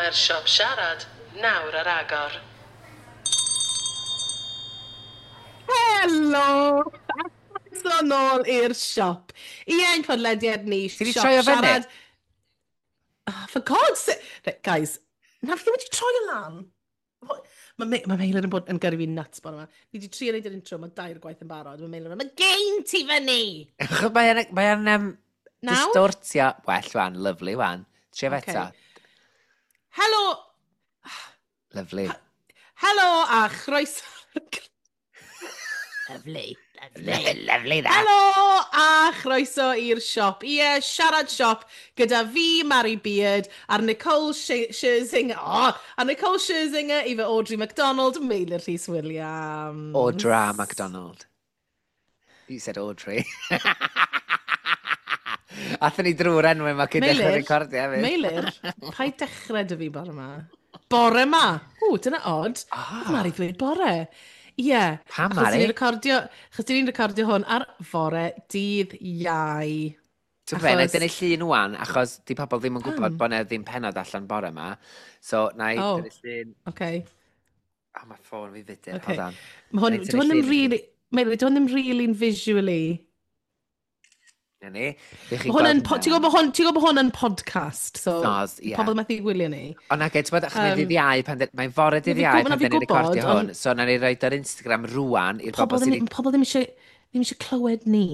Mae'r siop siarad nawr ar agor. Helo! A croeso nôl i'r siop. Ie, ein podlediad ni, Ti 'di siop troi o fyny? siarad. Oh, for God's sake! Right, guys, na fi ddim wedi troi o lan. Mae Ma Meilir yn bod yn gyrru fi nuts bore yma. Fi wedi trio neud yr intro, mae dair gwaith yn barod. Mae Meilir yn mynd, mae gain ti fyny! Achos mae o'n Nawr? distortio. Well, wan, lovely, wan. Trio fe Ocê. eto. Helo! Lovely. Helo a chroeso. Lovely, lovely. Lovely that. Helo a chroeso i'r siop. Ie, siarad siop gyda fi, Mary Beard, a'r Nicole Scherzinger, oh, a Nicole Scherzinger, efo Audrey McDonald, Meilir Rhys Williams. Audra McDonald. You said Audrey. Athyn ni drwy'r enw yma cyn dechrau Meilir, recordio hefyd. Meilir, paid dechrau dy fi bore yma. Bore yma! Ww, dyna odd. Ah. Mari ddweud bore. Ie. Yeah. Pam, Achos Mari? ni'n recordio, achos ni'n recordio hwn ar fore dydd Iau. Ti'n fe, na i Achos- dynnu llun wan, achos di pobl ddim yn gwybod Pam? bod na ddim penod allan bore yma. So, na i Oh. dynnu llun. Okay. Oh, mae ffôn fi fudur, Okay. hold on. Mae hwn, Na i dwi tynnu hwn ddim llun i chi. really, Meilir, dwi hwn ddim really visually. Na ni. Fy chi'n Mae hwn yn, gweld ti'n gwybod bod hwn, ti'n gwybod bod hwn yn podcast, so Soz, ie. pobl methu gwylio ni. Ond na, ti'n bod, achos mae'n ddydd Iau, mae'n fore dydd Na fi Iau na pan fi dyn ni'n gwybod, recordio hwn. ond- So, na ni roed ar Instagram rwan i'r Pobl bobl sydd ddim, pobl ddim eisiau clywed ni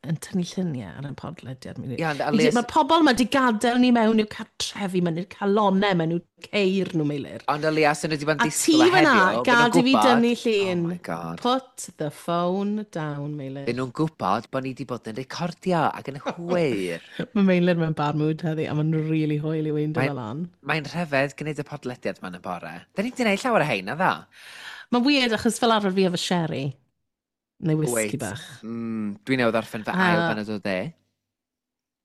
yn tynnu lluniau ar y podlediad. Ie, ond at least- Mae'r pobl yma di gadael ni mewn i'w cartrefi, mewn i'r calonau, mewn i'w ceir nhw, Meilir. Ond o leia, sy'n nhw wedi bod yn A ti disgwyl o fyna, heddiw, bydden nhw'n gad i fi gwybod- dynnu llun. Oh my God. Put the phone down, Meilir. Bydden nhw'n gwybod bod ni wedi bod yn recordio ac yn hwyr. Mae Meilir mewn bad mood heddi, a mae'n really hwyl i weindio fel lan. Mae'n rhyfedd gwneud y podlediad ma'n y bore. Da ni wedi gwneud llawer o hein, na dda? Mae'n weird achos fel arfer fi efo sherry. Neu whisky Wait. bach. Dwi newydd orffen fy ail baned o de.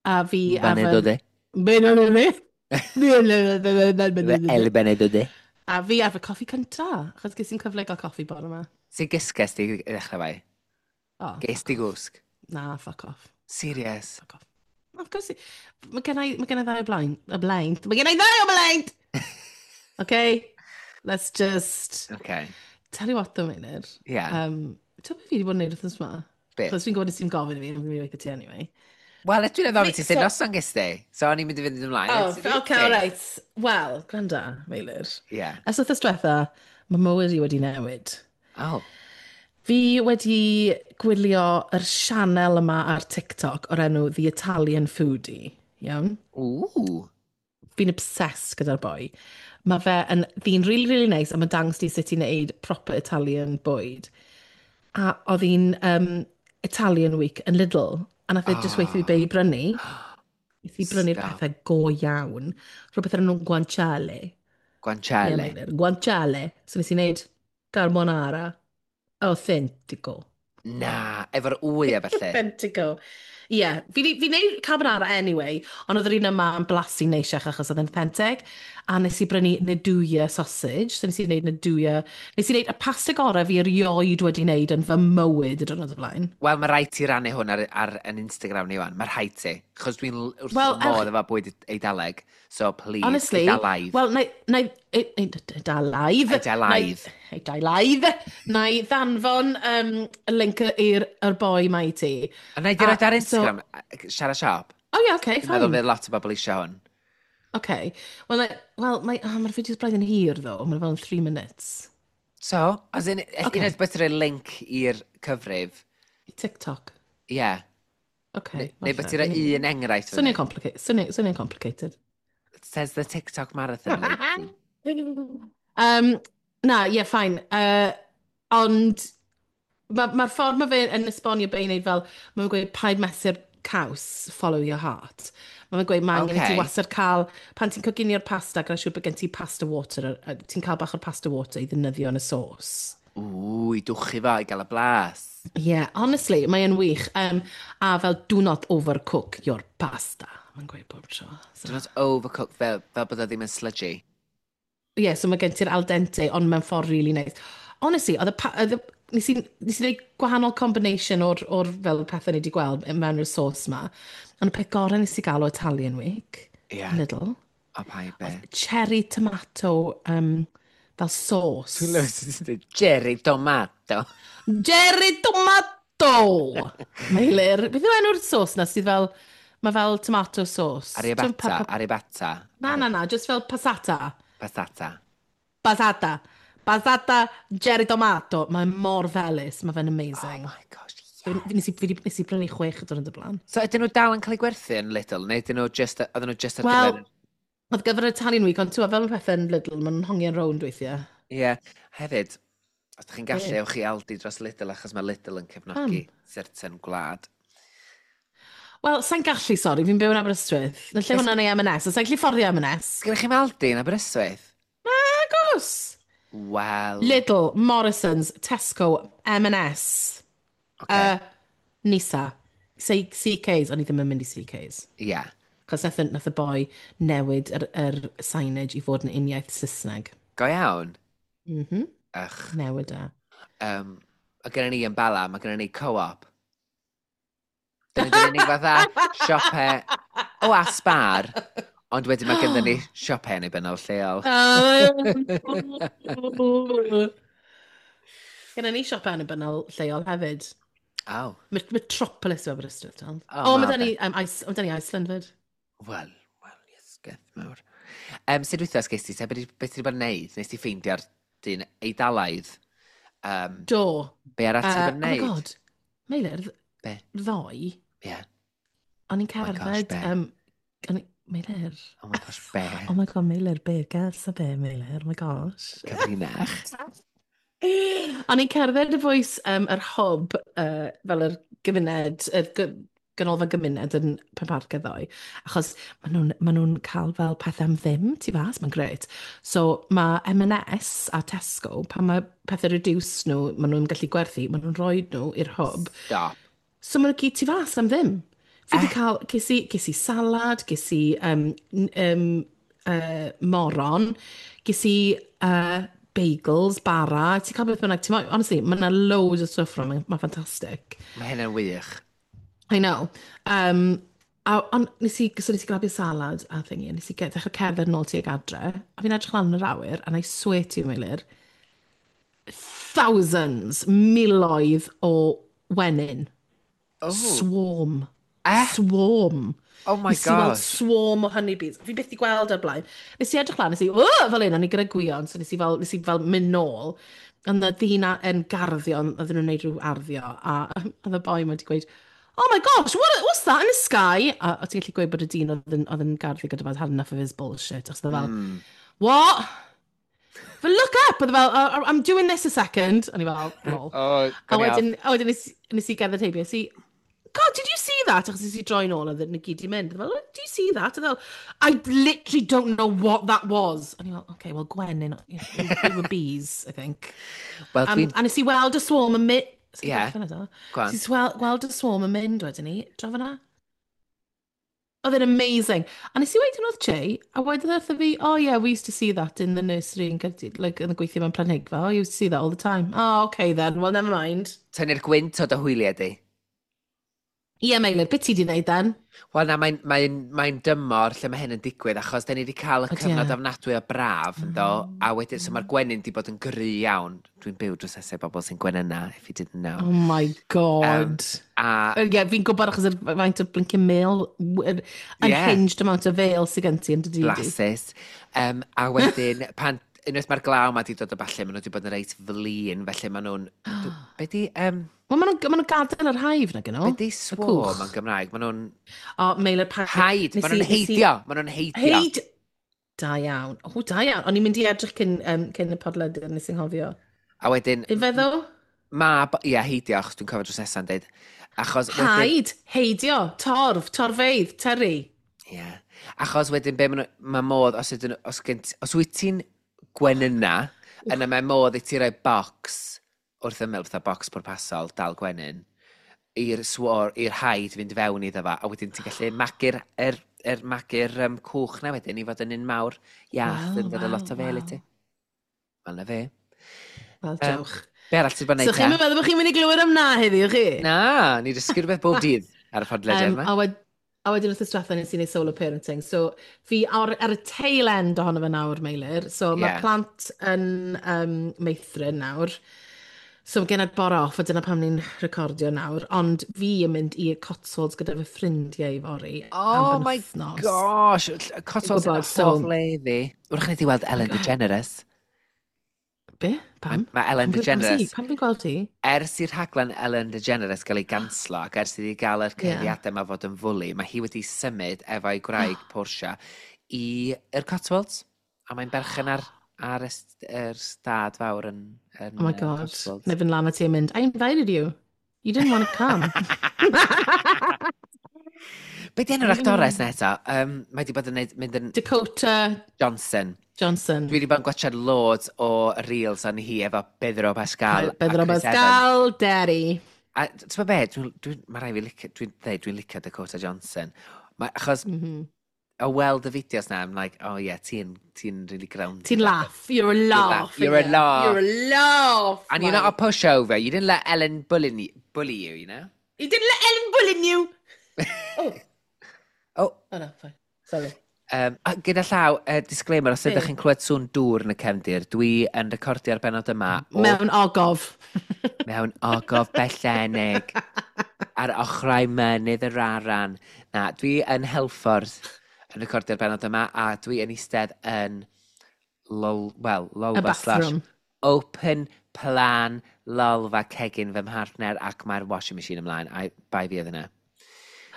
A fi Baned o de. Baned o de. Fy ail baned o de. A fi ar fy coffi cynta, achos ges i'n cyfle i gael coffi bore yma. Sy'n gysges di i ddechrau fai? Oh, Ges di gwsg? na, fuck off. Serious? Fuck off. Of course, mae gen i ddau o blaen. O blaen. Mae gen i ddau o blaen! Okay, let's just. Okay. Tell you what though, Meilir. Yeah. Ti'n beth fi wedi bod yn neud wythnos yma? Be? Achos fi'n gwybod nes i'n gofyn i fi, fi'n mynd i weithio ti anyway. Wel, dwi'n meddwl ti sut noson ges di. So o'n i'n mynd i fynd ymlaen. Oh, okay, all right. Wel, gwranda, Meilir. Yeah. Ers wythnos diwetha, mae mywyd i wedi newid. Oh. Fi wedi gwylio yr sianel yma ar TikTok o'r enw The Italian Foodie. Iawn? Ooh. Fi'n obsessed gyda'r boi. Mae fe yn ddyn really, really nice a mae'n dangos ti sut i wneud proper Italian bwyd. A oedd hi'n Italian Week yn Lidl. A nath e just weithio fi be i brynu. Nes i brynu'r Stop. pethau go iawn. Rhywbeth ar enw guanciale. Ie, Guanciale. Meilir, guanciale. So nes i wneud carbonara authentico. Na, efo'r wy a felly. Authentico. Ie, yeah, fi wneud carbonara anyway, ond oedd yr un yma yn blasu neisiach achos oedd yn authentic. A nes i brynu nduja sausage, so nes i wneud nduja. Nes i wneud y pasta gorau fi erioed wedi wneud yn fy mywyd y diwrnod o blaen. Wel, mae rhaid ti rannu hwn ar yn Instagram ni wan. Mae rhaid ti. Chos dwi'n wrth Wel, fy modd efo bwyd Eidaleg. So, please, Honestly, Eidalaidd. wel, na, na, Eidalaidd. Eidalaidd. Eidalaidd. Na i ddanfon y link i'r yr boi ma i ti. A na i di roed ar Instagram, siarad siop. Oh yeah, okay, Dwi'n meddwl fine. fydd lot o bobl eisiau hwn. Okay. Wel, well, mae'r fideos braidd yn hir, though. Mae'n fel yn 3 minutes. So, as in, okay. Okay. Un oed beth rhoi link i'r cyfrif. TikTok. Ie. Yeah. Okay. Neu beth i roi un enghraifft. Swnio'n complicated. Swnio'n complicated. Says the TikTok marathon lady. Na, ie, yeah, fine. Ond mae'r ma ffordd mae fe yn esbonio be i wneud fel, mae'n gweud paid mesur caws, follow your heart. Mae'n gweud mae angen i ti wastad cael, pan ti'n coginio'r pasta, gwna siŵr bod gen ti pasta water, ti'n cael bach o'r pasta water i ddefnyddio yn y sauce. Ww, i dwchu fo, i gael y blas. Yeah, honestly, mae'n wych. A fel, do not overcook your pasta. Mae'n gweud bob tro. So, Do not overcook fel bod o ddim yn sludgy. Yeah, so mae gen ti'r al dente, ond mewn ffordd really nice. Honestly, oedd y, pa, oedd y, nes i wneud gwahanol combination o'r fel pethau ni wedi gweld mewn i'r sauce ma. Ond y peth gorau nes i gael o Italian Week, Lidl. O, pa i be? Cherry tomato, fel sauce. Dwi'n lyfio sut ti'n dweud Jerry Tomato. Cherry tomato! Meilir, beth yw enw'r sauce na sydd fel, mae fel tomato sauce. Aribata, aribata. Na, na, na, just fel passata. Passata. Passata. Passata cherry tomato. Mae mor felys, mae fe'n amazing. Oh my gosh, yeah. Nes i brynu 6 y diwrnod o blaen. So ydyn nhw dal yn cael eu gwerthu yn Lidl, neu ydyn nhw just, oedden nhw just ar Wel, gyfer... oedd gyfer yr Italian Week, ond ti'n fel mae pethau'n Lidl, maen nhw'n hongian rownd weithiau. Ie, yeah. Hefyd, os ydych chi'n gallu, Be? ewch i Aldi dros Lidl, achos mae Lidl yn cefnogi certain gwlad. Wel, sa'n gallu, sori, fi'n byw yn Aberystwyth. Na lle hwnna'n ei M&S, a sa'n gallu fforddio M&S. Sgynnych chi'm Aldi yn Aberystwyth? Nagos! Wel... Lidl, Morrisons, Tesco, M&S, Okay. Nisa, CKs, o'n i ddim yn mynd i CKs. Ie. Yeah. Cos nath y boi newid yr signage i fod yn uniaith Saesneg. Go iawn? Mhm. Ych. Newid e. A gynnon ni yn Bala, mae gynnon ni co-op. Dyna di'r unig fatha siope o a Spar, ond wedyn mae gynnon ni siope annibynnol lleol. Gynnon ni siope annibynnol lleol hefyd. Oh. Metropolis yw Aberystwyth, Tom. Oh, O, mae ma' da ni, ma' 'da ni Iceland fyd. Wel, wel, yes, mawr. Sut wythnos ges ti, te? Be ti wedi bod yn neud? Nes ti ffeindio'r dyn Eidalaidd? Do. Be arall ti wedi bod yn Oh my neud? God. Meilir, Be? ddoe, Ie. o'n i'n Oh my gosh, cerdded... be? Meilir. Oh my gosh, be? Oh my God, Meilir, be? Gers a be, Meilir? Oh my gosh. Cyfrinach. O'n i'n cerdded y bwys yr hwb, fel yr gymuned, yr ganolfan gymuned yn Penparcau ddoe, achos maen nhw'n cael fel pethau am ddim tu fas, mae'n grêt. So mae M&S a Tesco, pan mae pethau reduced nhw, maen nhw'n gallu gwerthu, maen nhw'n rhoi nhw i'r hwb. Stop. So maen nhw gyd tu fas am ddim. Fi wedi cael, ges i salad, ges i moron, ges i bagels, bara, ti'n cael beth bynnag, ti'n honestly, mae yna loads o stwff rhwng, mae'n ffantastig. Mae hynna'n wych. I know. A, ond so nes i grabio salad a thingy, a nes i dechrau cerdded nôl tuag adre, a fi'n edrych lan yn yr awyr, and I swear to you, Meilir, thousands, miloedd o wenyn. Oh. Swarm. Eh? Swarm. Oh my Nes i weld gosh. swarm o honeybees. Fi byth 'di gweld o'r blaen. Nes i edrych lan, nes i, "Ww!" fel un, o'n i gyda Gwion, so nes i fel mynd nôl. Ond oedd ddyn yn garddio, oedden nhw'n neud rhyw arddio, a oedd y boi ma wedi gweud, "Oh my gosh, what's that in the sky?" A ti'n gallu gweud bod y dyn oedd yn garddio gyda fe had enough of his bullshit. Achos oedd e fel, "What?" But look up! Oedd e fel, "Oh, I'm doing this a second." O'n i fel, "Lol." Oh, A wedyn nes i gerdded heibio, nes i, "God, did you see that?" Achos nes i droi nôl a nhw gyd i mynd. Fel, "Do you see that?" A fel, "I literally don't know what that was." A ni fel, "Okay, well, gwenyn, they were bees, I think." Wel, dwi'n A nes i weld y swarm yn mynd. Ie. Go on. Nes i weld y swarm yn mynd wedyn ni, draw fyna. Oedd e'n amazing. A nes i weud yn wrth Jay, a wedodd wrtho fi, "Oh yeah, we used to see that in the nursery in Caerdydd," like yn y gweithio mewn planhigfa. "Oh, you used to see that all the time." "Oh, okay then, well, never mind." Tynnu'r gwynt o dy hwyliau di. Ie, Meilir, beth ti di wneud then? Wel na, mae'n mae dymor lle mae hyn yn digwydd, achos da ni wedi cael y Ydy cyfnod e. ofnadwy o braf, yn do, a wedyn, so mae'r gwenyn wedi bod yn gry iawn. Dwi'n byw drws nesaf bobl sy'n gwenyna, if you didn't know. Oh my God. A Ie, fi'n gwybod achos yr faint o blinking mêl, yr unhinged amount o fêl sydd gen ti yn dy dŷ di. Blasus. A wedyn, pan, unwaith mae'r glaw ma wedi dod o falle, maen nhw wedi bod yn reit flin, felly maen nhw'n... Be di, Wel, maen nhw'n gadael yr hive na gyn nhw. be di Y swarm cwch. yn Gymraeg? Maen nhw'n O, Meilir, pa... Haid, maen nhw'n heidio, maen nhw'n heidio. Heid! Da iawn. O, da iawn. O'n i'n mynd i edrych cyn y podlediad, nes i'n nghofio. A wedyn, Ife ddo? ma, ie, heidio, achos dwi'n cofio drws nesa'n deud. Achos wedyn, Haid, heidio, torf, torfeydd, tyri. Ie. Achos wedyn, be ma' mae modd, os, ydyn, os, gen os wyt ti'n gwenyna, yna mae modd i ti roi bocs wrth ymyl, fatha bocs pwrpasol, dal gwenyn, i'r swar, i'r haid fynd fewn iddo fo, a wedyn ti'n gallu magu'r er, er, magu'r cwch na wedyn i fod yn un mawr iach, yn dod â lot o fel i ti. Wel, na fe. Wel, diolch. Be arall ti'n bod yn So neud chi'n te? meddwl bod chi'n mynd i glywed am na heddiw, chi? Na, ni dysgu rhywbeth bob dydd ar y podlediad yma. A A wedyn wythnos diwetha nes i wneud solo parenting. So fi ar y tail end ohono fe nawr, Meilir. So mae plant yn meithrin nawr. So mae gen i'r bore off, a dyna pam ni'n recordio nawr. Ond fi yn mynd i'r Cotswolds gyda fy ffrindiau fory Oh am my benwythnos. Gosh, Cotswolds yn Gwybod, so- hoff le i fi. Wrach ni di weld Ellen DeGeneres. Be? Pam? Mae Ellen Pam DeGeneres, Pam fi'n gweld ti? Ers i'r rhaglen Ellen DeGeneres gael ei ganslo ac ers iddi gael yr cyhuddiadau yma fod yn fwli, mae hi wedi symud efo'i gwraig Portia i'r Cotswolds. A mae'n berchen ar yr stad fawr yn Oh my God. Cotswolds. Neu fynd lan at ti yn mynd, "I invited you. You didn't want to come." Be di enw'r actores na eto? Mae wedi bod yn neud, mynd yn Dakota Johnson. Johnson. Dwi wedi bod yn gwachod loads o reels o'n hi efo Pedro Pascal a Pedro Chris Evans. Pascal, Daddy. A ti'n gwybod be, mae rai fi licio, dwi'n dweud, dwi'n licio Dakota Johnson. Mae, achos o weld y fideos na, I'm like, "Oh yeah, ti really grounded." Ti'n laugh. You're a laugh. You're a laugh. You're a laugh. And you're not a pushover. You didn't let Ellen bully you, you know? You didn't let Ellen bully you. Oh. Oh. Oh no, fine. Sorry. A gyda llaw, disclaimer, os ydych Be? chi'n clywed sŵn dŵr yn y cefndir, dwi yn recordio'r benod yma o, Mewn ogof. Mewn ogof bellenig ar ochrau mynydd yr Aran. Na, dwi yn Helford yn recordio'r benod yma, a dwi yn eistedd yn lol, well, Y lolfa slash bathroom. Open plan lolfa cegin fy mhartner ac mae'r washing machine ymlaen. A bai fi oedd yna.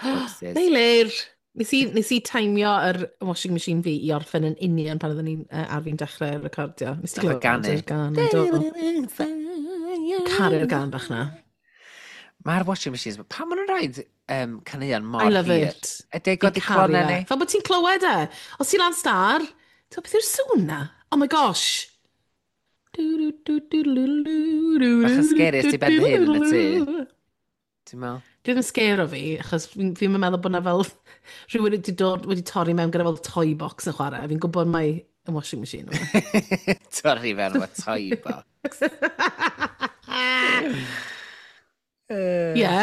Whoopsies. Meilir, nes i taimio yr washing machine fi i orffen yn union pan oeddwn ni'n ar fi'n dechrau recordio. Nes ti Nath o glywed ganu. yr gan? Do. Caru'r gan bach na. Mae'r washing machines, pam maen nhw'n rhaid caneuon mor I love hir? it. Ydy Fi'n godi caru clonau e. ni? Fel bod ti'n clywed e. Os ti'n lan star, ti'n beth yw'r sŵn na? Oh my gosh. Bach yn scary os ti ben dy hun yn y tŷ. Ti'n meddwl? Dwi ddim yn scare o fi, achos fi'n meddwl bod na fel rhywun wedi dod, wedi torri mewn gyda fel toy box yn chwarae. Fi'n gwybod mai y washing machine yw e. Torri fewn efo toy box. Ie.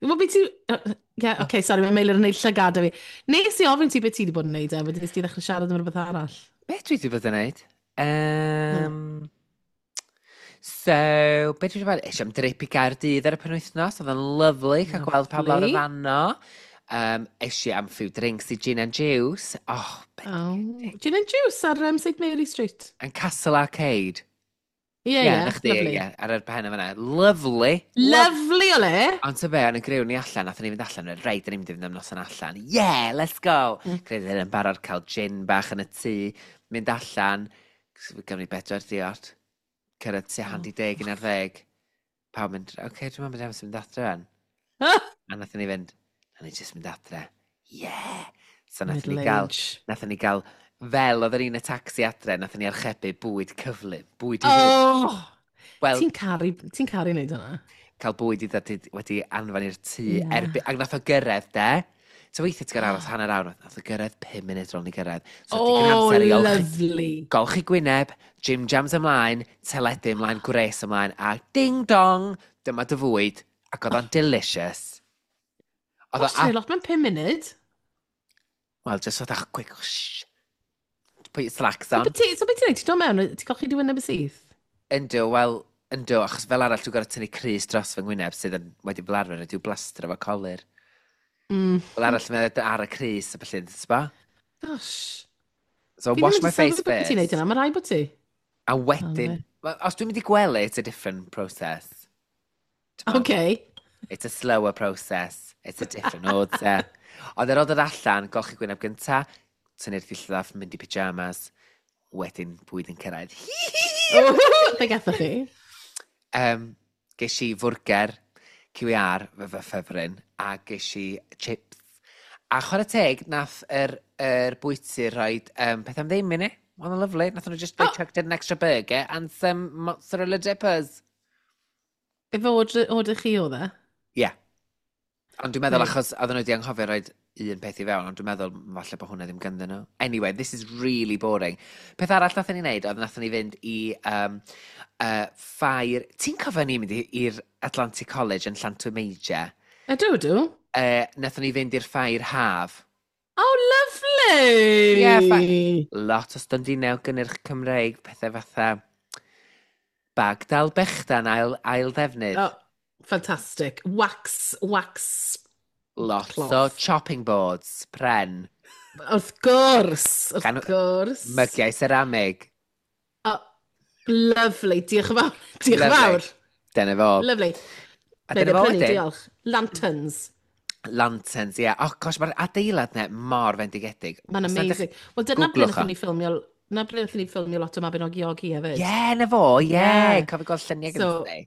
Wel, beth ti... Ie, okay, sorry, mae Meilir yn neud llygad fi. Nes i ofyn ti beth ti wedi bod yn neud e, wedyn nes ti ddechrau siarad am rhywbeth arall. Beth dwi wedi bod yn neud? So, beth dwi wedi bod? Eisiau am drip i Gaerdydd ar y penwythnos. Oedd yn lyfli cael gweld pawb lawr y Lovely. fanno. Eisiau am few drinks i Gin and Juice. Oh, Oh. Gin and Juice ar St Mary Street. Yn Castle Arcade. Ie, Ie, ie, na chdi, lovely. ie, ar yr pen yma. Lovely. Lovely o le! Ond ty be, yn y griw ni allan, nathon ni fynd allan, reit, da ni'n mynd i fynd am noson allan. Yeah, let's go! Credu yn barod cael gin bach yn y tŷ, mynd allan, gafon ni bedwar diod, cyrraedd tua hanner 10, 11. Pawb mynd, "Oce, okay, dwi'n meddwl bod mynd adre fan." A nathon ni fynd, "Na ni just mynd adre. Yeah!" So nathon ni Middle gael, age. nathon ni gael, fel oedd yr un y taxi adre, nathon ni archebu bwyd cyflym, bwyd i fynd. Oh! Wel, Ti'n caru wneud hwnna? Cael bwyd i ddod wedi anfon i'r tŷ erbyn, ac nath o gyrraedd de. So weithiau ti'n gorfod aros hanner awr, nath o gyrraedd 5 munud rôl ni gyrraedd. So digon Oh, amser i olchi, lovely. golchi gwyneb, gym jams ymlaen, teledu ymlaen, gwres ymlaen, a ding dong, dyma dy fwyd, ac oedd o'n delicious. Oedd o, Gosh, ti'n lot mewn 5 munud. Well, just oedd a quick whoosh. Put your slacks on. So beth ti'n neud? Ti'n dod mewn, ti'n golchi dy wyneb y syth? Yndw, wel, yndw, achos fel arall dwi'n gorfod tynnu crys dros fy ngwyneb sydd yn wedi fel arfer ydyw blastro efo colur. Fel arall mae'n ar y crys a felly, sba? Gosh. So Fi ddim wash yn my face sylwi bod ti'n neud first. hynna, mae rhaid bod ti. A wedyn, Oh, well, os dwi'n mynd i gwely, it's a different process. T'mo? Okay. It's a slower process. It's a different order. Ond ar ôl dod allan, golchi gwyneb gynta, tynnu'r ddillad off, mynd i pyjamas, wedyn bwyd yn cyrraedd. Be gathoch chi? Ges i fwrger QER, fy ffefryn, a ges i chips. A chwarae teg, nath yr bwyty rhoi peth am ddim i ni. Oedd yn lyfli. Nath nhw just, they chucked in an extra burger and some mozzarella dippers. Efo order chi oedd e? Ie. Yeah. Ond dwi'n meddwl Reit. achos oedden nhw wedi anghofio rhoi un peth i fewn, ond dwi'n meddwl falle bod hwnna ddim ganddyn nhw. Anyway, this is really boring. Peth arall nathon ni wneud oedd nathon ni fynd i ffair. Ti'n cofio ni mynd i'r Atlantic College yn Llantwit Major? Ydw, ydw. Nathon ni fynd i'r ffair haf. Oh, lovely! Ie, yeah, lot o stondinau gynnyrch Cymreig, pethau fatha bag dal bechdan ail ddefnydd. Oh, fantastic. Wax, wax Lot cloth. O chopping boards, pren. Wrth gwrs, wrth Gan gwrs. Mygiau ceramig. Oh, lovely, diolch yn fawr. Diolch yn Lovely. fawr. Dyna fo. Lovely. A Neu dyna fo prynu, wedyn. diolch. Lanterns. Lanterns, ie. Yeah. Oh, gosh, mae'r adeilad ne mor fendigedig. Mae'n Os nad amazing. Wel, dyna ble Googlwch wnaethon o. ni ffilmio, na ble wnaethon ni ffilmio lot o Mabinogi Ogi hefyd. Ie, yeah, na fo, ie. Yeah. Ie. Cofio gweld lluniau gyda So, chdi.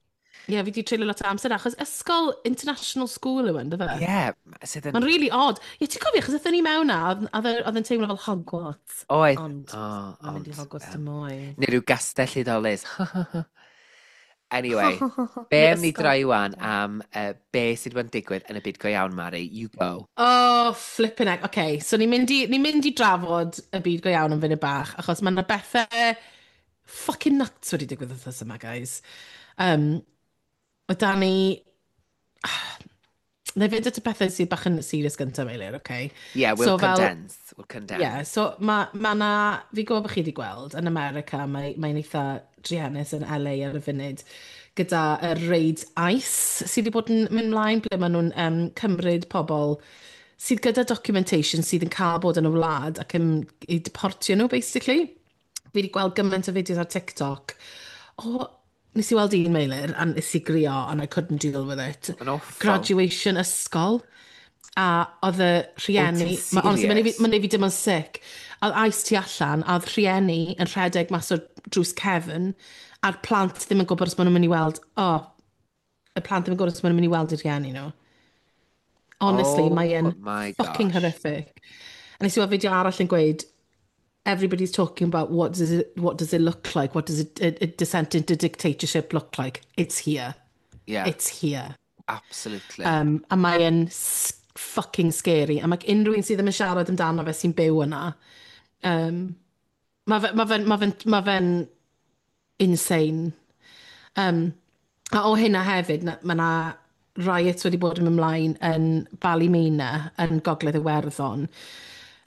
Ie, yeah, fi di treulio lot o amser achos ysgol international school yw e, ynddo fe? Ie, yeah, sydd yn Mae'n really odd. Ie, ti'n cofio, achos aethon ni mewn na, oedd yn teimlo fel Hogwarts. Oedd. Ond, Oh, mae'n mynd i ond, Hogwarts dim mwy. Neu rhyw gastell hudolus. Anyway, be Neu am ni ysgol. droi wan am be sydd wedi digwydd yn y byd go iawn, Mari? You go. Oh, flipping heck. OK, so ni'n mynd i drafod y byd go iawn yn funud bach, achos mae yna bethau fucking nuts wedi digwydd wythnos yma, guys. Mae da ni. Na i fynd at y pethau sydd bach yn serious gyntaf, Meilir, OK? Yeah, we'll So fel- condense. We'll condense. Yeah, so ma na, fi gwybod bod chi wedi gweld, yn America, mae'n eitha druenus yn LA ar y funud, gyda y raids ICE sydd wedi bod yn mynd mlaen, ble maen nhw'n cymryd pobl sydd gyda documentation sydd yn cael bod yn y wlad ac yn i deportio nhw, basically. Fi wedi gweld gymaint o fideos ar TikTok. O, nes i weld un, Meilir, a nes i grio, and I couldn't deal with it. Mae'n awful. Graduation ysgol. A oedd y rhieni Wyt ti'n Honestly, mae'n serious? neud fi dim ond sick. A oedd ICE tu allan, a oedd rhieni yn rhedeg mas o'r drws cefn, a'r plant ddim yn gwybod os maen nhw'n mynd i weld. Oh, y plant ddim yn gwybod os maen nhw'n mynd i weld eu rhieni nhw. Honestly, Oh mae e'n my fucking gosh. horrific. A nes i weld fideo arall yn gweud, "Everybody's talking about what does it look like, what does a descent into dictatorship look like? It's here." It's here. Absolutely. A mae e'n fucking scary. A mae unrhyw un sydd ddim yn siarad amdano fe sy'n byw yna. Mae fe'n insane. A o hynna hefyd, mae yna riots wedi bod yn mynd ymlaen yn Ballymena yn Gogledd Iwerddon.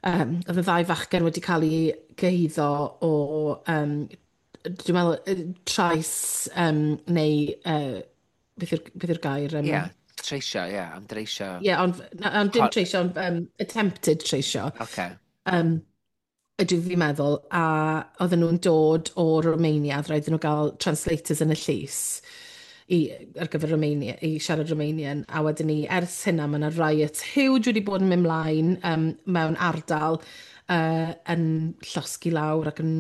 Oedd y ddau fachgen wedi cael eu gyhuddo o, dwi'n meddwl, trais neu, beth yw'r gair? Yeah, treisio, yeah, am dreisio. Ie, ond, na, ond dim treisio, ond attempted treisio. Ydw fi'n meddwl, a oedden nhw'n dod o Romania, oedd rhaid iddyn nhw gael translators yn y llys ar gyfer Romania, i siarad Romanian, a wedyn ni, ers hynna, mae yna riot huge wedi bod yn mynd mlaen mewn ardal yn llosgi lawr ac yn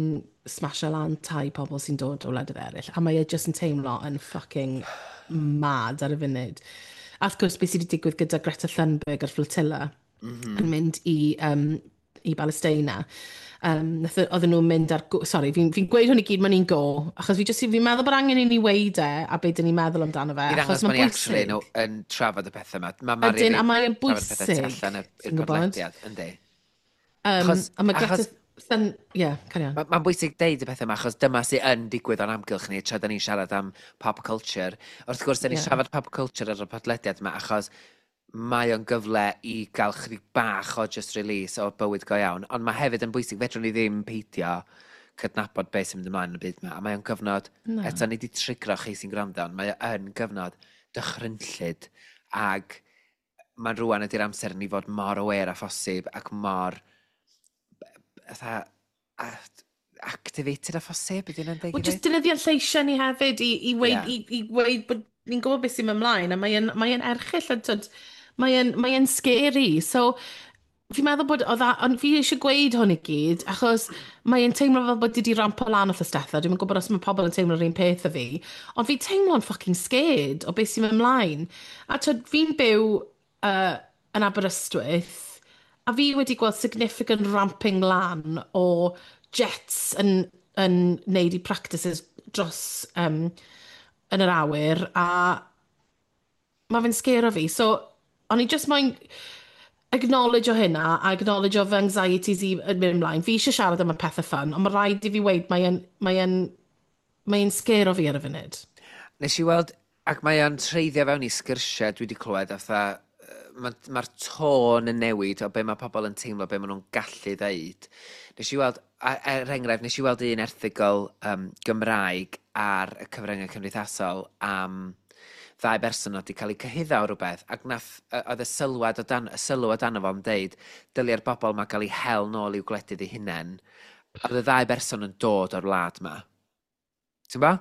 smasho lan tai pobl sy'n dod o wledydd eraill. A mae e jyst yn teimlo yn fucking mad ar y funud. A wrth gwrs, beth sydd wedi digwydd gyda Greta Thunberg a'r flotilla yn mynd i Palestina. Oedden nhw'n mynd ar... Sorry, fi'n gweud hwn i gyd mewn un go, achos fi'n meddwl bod angen i ni weud e a beth dyn ni'n meddwl amdano fe, I ddangos achos bod mae'n ni actually bwysig. no, yn trafod y pethau yma. Mae Mari Ydyn, a mae'n trafod pethau tu bwysig, allan i'r ti'n gwybod? podlediad, yndi. A mae Greta Ie, yeah, carry on. Mae'n bwysig deud y pethau yma, achos dyma sydd yn digwydd o'n amgylch ni tra da ni'n siarad am pop culture. Wrth gwrs, da ni'n siarad pop culture ar y podlediad yma, achos mae o'n gyfle i gael chydig bach o just release o bywyd go iawn. Ond mae hefyd yn bwysig, fedrwn ni ddim peidio cydnabod beth sy'n mynd ymlaen yn y byd yma. A mae o'n gyfnod, Na. eto ni wedi trigro chi sy'n gwrando, ond mae o yn gyfnod dychrynllyd ac mae'n rwan ydy'r amser i ni fod mor aware a phosib ac mor fatha activated a phosib, ydy hynna'n deg Wel, i just ddweud? defnyddio'n lleisiau ni hefyd i weud, i weud bod ni'n gwybod beth sy'n mynd ymlaen, a mae erchyll, a tyd, mae scary. So, fi'n meddwl bod, oedd ond fi eisiau gweud hwn i gyd, achos mae'n teimlo fel bod di rampo lan wrth ystethau. Dwi'n gwybod os mae pobl yn teimlo'r un peth â fi, ond fi'n teimlo'n fucking scared o beth sy'n mynd ymlaen. A tyd, fi'n byw yn Aberystwyth, a fi wedi gweld significant ramping lan o jets yn neud i practices dros yn yr awyr, a mae fe'n scare fi. So, o'n i just moyn acknowledge o hynna, a acknowledge o fy anxieties i yn mynd ymlaen. Fi eisiau siarad am y pethau fun, ond mae rhaid i fi weud mae e'n scare o fi ar y funud. Nes i weld, ac mae o'n treiddio fewn i sgyrsiau dwi wedi clywed fatha Mae'r ma tôn yn newid o be mae pobl yn teimlo, be maen nhw'n gallu ddeud. Nes i weld, er enghraifft, nes i weld un erthygl Gymraeg ar y cyfryngau cymdeithasol am ddau berson oedd wedi cael eu cyhuddo o rhywbeth, ac nath, oedd y sylwad o dan, y sylw o dan fo'n deud, dyliau'r bobl ma gael eu hel nôl i'w gwledydd eu hunain. Oedd y ddau berson yn dod o'r wlad ma. Ti'n bo?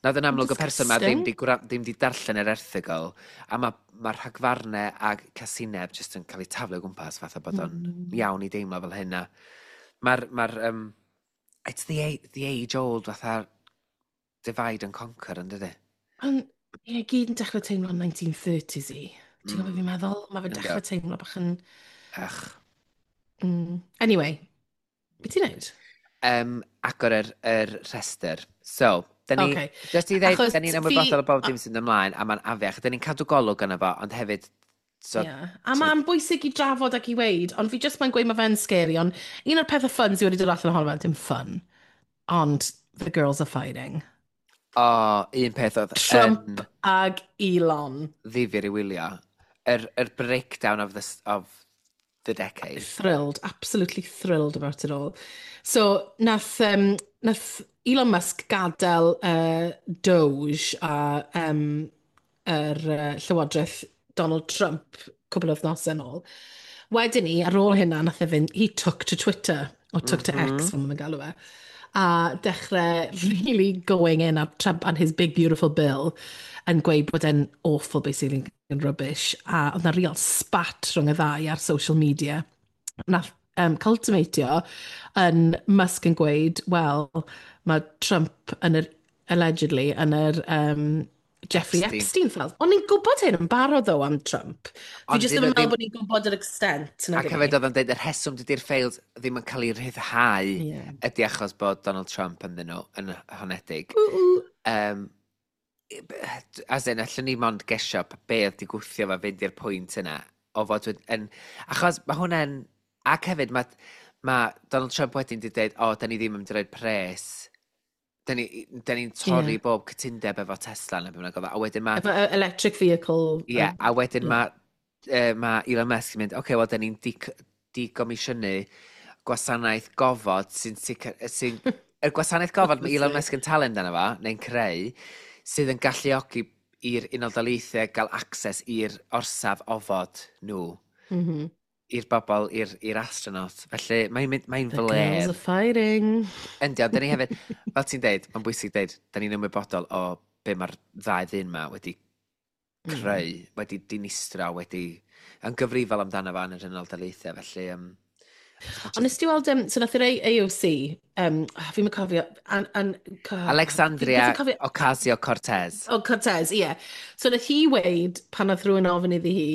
Na yn amlwg y person ma ddim di, ddim di darllen yr erthygl, a mae ma rhagfarnau a casineb jyst yn cael eu taflu o gwmpas fatha bod o'n iawn i deimlo fel hynna. Mae'r, ma it's the age old fatha divide and conquer, yn dydy? Ond, ie, gyd yn dechrau teimlo 1930s i. Ti'n gwybod beth fi'n meddwl? Mae fe'n dechrau teimlo bach yn. Ach. Anyway, beth ti'n neud? Agor yr rhestr. So, da ni, just i ddeud, da ni'n ymwybodol o bob dim sy'n ymlaen, a mae'n afiach. Da ni'n cadw golwg yna fo, ond hefyd. So, yeah. A mae'n bwysig i drafod ac i weid, ond fi just mae'n gweud mae fe'n scary, ond un o'r pethau fun sydd wedi dod allan ohono fe, dim fun, ond the girls are fighting. O, oh, un peth oedd Trump yn ag Elon. Ddifyr i wylio. Yr breakdown of the decade. Thrilled, absolutely thrilled about it all. So, nath Elon Musk gadael Doge a yr llywodraeth Donald Trump cwbl o wythnosau yn ôl. Wedyn ni, ar ôl hynna, nath e fynd, he took to Twitter, or took to X, fel maen galw fe, a dechrau really going in ar Trump and his big beautiful bill yn gweud bod e'n awful, basically, yn rubbish. A oedd na real spat rhwng y ddau ar social media. Nath culminatio yn Musk yn gweud, wel, mae Trump yn yr, allegedly, yn yr Jeffrey Epstein. Epstein files. Ond ni'n gwybod hyn yn barod ddo am Trump. Fi Ond jyst dyn ddim nhw yn meddwl bod ni'n gwybod yr extent. Ac hefyd oedd o'n dweud yr rheswm dydy'r files ddim yn cael eu rhyddhau ydy achos bod Donald Trump ynddyn nhw yn honedig. Ww, ww. As in, allwn ni mond gesio be oedd di gwthio fo fynd i'r pwynt yna o fod yn. Achos mae hwnna'n. Ac hefyd, mae Donald Trump wedyn di dweud, "O, da ni ddim yn mynd i roi pres. Da ni'n ni torri bob cytundeb efo Tesla," neu beth bynnag oedd o. A wedyn mae Efo electric vehicle. Ie, yeah, a wedyn mae ma Elon Musk yn mynd, "Oce, okay, wel, da ni'n digomisiynu gwasanaeth gofod sy'n sicr... Sy'n, y gwasanaeth gofod mae Elon Musk yn talu amdano fo, neu'n creu, sydd yn galluogi i'r Unol Daleithiau gael access i'r orsaf ofod nhw, i'r bobl, i'r astronaut." Felly mae'n mynd, mae'n The girls fler. are fighting. Yndi, ond da ni hefyd, fel ti'n deud, mae'n bwysig deud, da ni'n ymwybodol o be mae'r ddau ddyn ma wedi creu, wedi dinistro, wedi yn gyfrifol amdano fo yn yr Unol Daleithiau, felly. Ond nes ti weld, so nath yr AOC, oh, fi'n cofio, an, Alexandria fi'n cofio- Ocasio-Cortez. O, Cortez, ie. Yeah. So nath hi weid, pan nath rhywun ofyn iddi hi,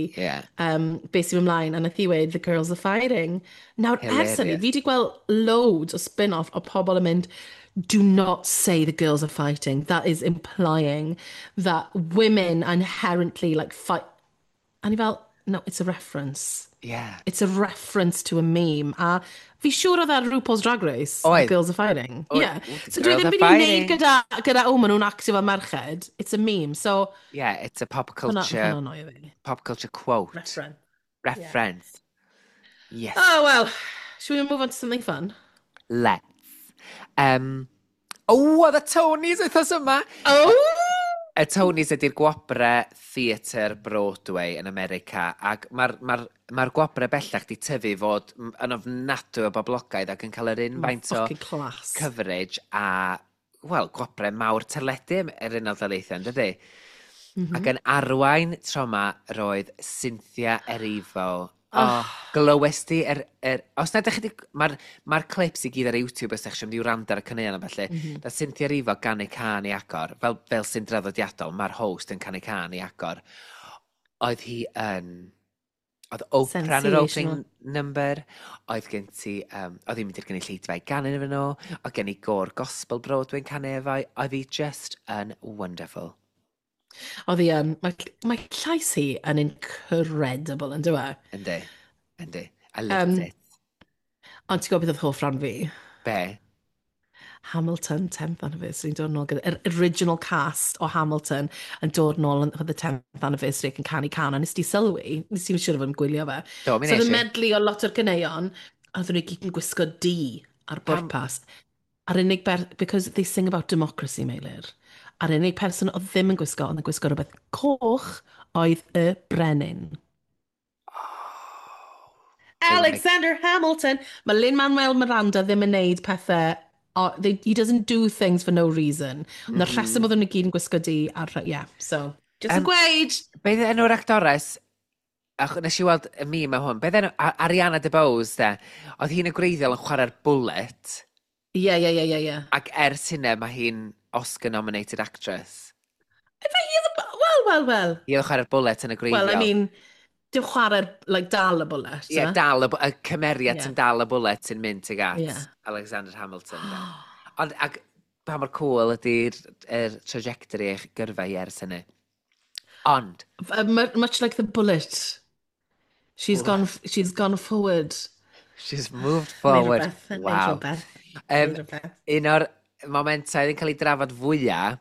beth sy'n ymlaen, a nath hi weid, "The girls are fighting." Nawr, ers hynny, Hilarious. fi wedi gweld loads o spin-off o pobl yn mynd, "Do not say the girls are fighting. That is implying that women inherently like fight." A ni fel, "No, it's a reference." It's a reference to a meme. A fi siŵr oedd ar RuPaul's Drag Race. Oedd. The girls are fighting. Oedd. Yeah. Ooh, the So dwi girls ddim are byd i wneud fighting. gyda, "Oh, maen nhw'n actio fel merched." It's a meme. So, Yeah, it's a pop hwnna culture, hwnna'n annoio fi. pop culture quote. Reference. Reference. Yes. Oh, well. Should we move on to something fun? Let's. Oh, oedd y Tonys wythnos yma! Oh! Y Tonys ydy'r gwobre theatr Broadway yn America, ac mae'r ma ma gwobre bellach di tyfu fod yn ofnadwy o boblogaidd ac yn cael yr un faint o Fucking class. coverage a, wel, gwobre mawr teledu yr Unol Daleithiau, yn dydy? Ac yn arwain tro 'ma roedd Cynthia Erivo. Oh, glywes di os na ydych chi. Mae'r ma clips i gyd ar YouTube os ydych chi'n mynd i wrando ar y caneuon a felly. Mm -hmm. Na Cynthia Erivo ganu cân i agor, fel sy'n draddodiadol, mae'r host yn canu cân i agor. Oedd hi yn... Oedd Oprah yn yr opening Sensational. number, oedd gen ti, oedd hi'n mynd i'r gynulleidfa i ganu efo nhw, oedd gen i gôr gospel Broadway'n canu efo, oedd hi just yn wonderful. Oedd hi yn, mae llais hi yn incredible, yn dyw e? Yndi, yndi. I loved it. Ond ti'n gwybod beth oedd hoff ran fi? Be? Hamilton 10th anniversary yn dod nôl gyda, yr original cast o Hamilton yn dod nôl yn for the 10th anniversary ac yn canu can, a nes di sylwi, nes ti'n siŵr o fod yn gwylio fe. Do, mi So nes oedd i. y medley o lot o'r ganeuon, a oedden nhw i gyd yn gwisgo du ar bwrpas. A'r unig ber... Because they sing about democracy, Meilir. A'r unig person oedd ddim yn gwisgo, oedd yn gwisgo rhywbeth coch, oedd y brenin. Oh. Alexander Hamilton! Mae Lin-Manuel Miranda ddim yn neud pethau... O, they, he doesn't do things for no reason. Ond mm. y rheswm oedden nhw gyd yn gwisgo du ar... Yeah, so... Just yn gweud! Be oedd enw'r actores? Ach, nes i weld y meme am hwn. Be oedd enw? Ariana DeBose, de. Oedd hi'n y gwreiddiol yn chwarae'r bullet. Ie. Ac ers hynna, mae hi'n Oscar-nominated actress. Efe hi oedd y... Wel, wel, wel. Hi oedd chwarae'r bullet yn y gwreiddiol. Well, I mean, dim chwarae'r, like, dal y bullet. Ie, yeah, dal y, y cymeriad sy'n dal y bullet sy'n mynd tuag at Alexander Hamilton. De. Ond, ac pa mor cool ydy'r er trajectory eich gyrfa hi ers hynny. Ond... Much like the bullet. She's gone, she's gone forward. She's moved forward. Wow. Un o'r momentau oedd yn cael ei drafod fwyaf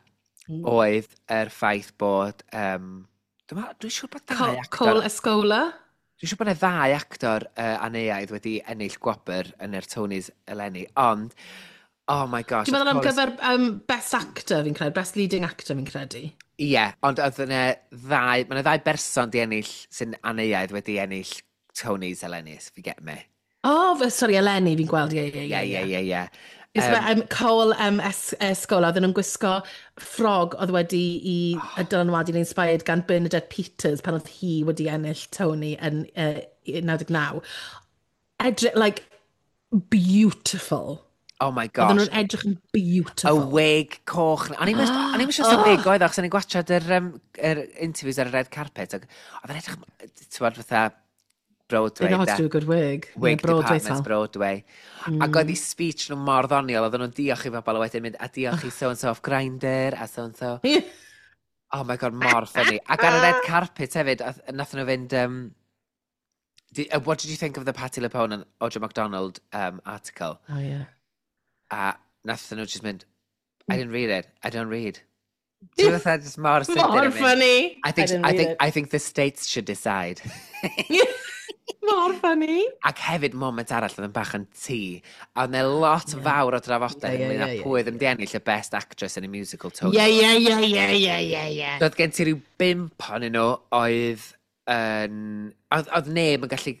oedd yr ffaith bod... Dwi'n siŵr bod dau actor... Cole Escola? Dwi'n siŵr bod yna ddau actor aneuaidd wedi ennill gwobr yn yr Tonys eleni, ond... Oh my gosh. Dwi'n meddwl am gyfer Best Actor fi'n credu, Best Leading Actor fi'n credu. Ie, yeah, ond oedd yna ddau, mae yna ddau berson di ennill sy'n aneuaidd wedi ennill Tonys eleni, if you get me. Oh, sorry, eleni fi'n gweld, ie, ie, ie. Ie, ie, ie. Cole Escola, oedden nhw'n gwisgo ffrog oedd wedi i dylanwadu'n inspired gan Bernadette Peters pan oedd hi wedi ennill Tony yn 99. Edrych, like, beautiful. Oh my gosh. Oedden nhw'n edrych yn beautiful. Y wig coch. O'n i'n siŵr oh. Wig oedd, achos o'n i'n gwachod yr interviews ar y red carpet. Ac oedd yn edrych, ti'n bod, fatha Broadway. They know how to do a good wig. Wig yeah, Broadway department, Broadway. Ac oedd i speech nhw mor ddoniol, oedden nhw'n diolch i bobl a wedyn mynd, a diolch i so-and-so off Grindr, a so-and-so. Oh my God, mor funny. Ac ar y red carpet hefyd, nath nhw fynd... What did you think of the Patti LuPone and Audra McDonald article? Oh, yeah. A nath nhw just mynd, I didn't read it, I don't read. Ti'n fatha just mor sydyn. Mor funny. I think the states should decide. Mor funny. Ac hefyd moment arall oedd yn bach yn tŷ. A oedd yna lot fawr o drafodaeth ynglyn â pwy oedd yn ennill y Best Actress in a Musical Tony. Ie. Doedd gen ti rhyw 5 ohonyn nhw oedd yn... Oedd neb yn gallu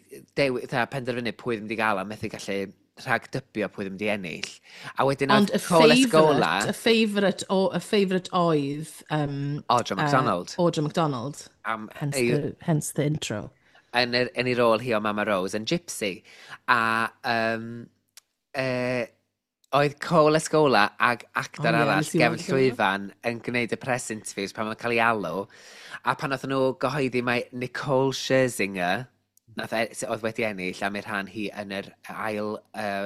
penderfynu pwy oedd yn mynd i gael a methu gallu rhagdybio pwy oedd yn mynd i ennill. A wedyn oedd Cole Escola... Ond y favourite oedd... Audra McDonald. Audra McDonald. Hence the intro. Yn ei rôl hi o Mama Rose yn Gypsy. A oedd Cole Escola ag actor arall gefn llwyfan yn gwneud y press interviews pan mae'n cael ei alw. A pan oedd nhw gyhoeddi mai Nicole Scherzinger, oedd wedi ennill am ei rhan hi yn yr ail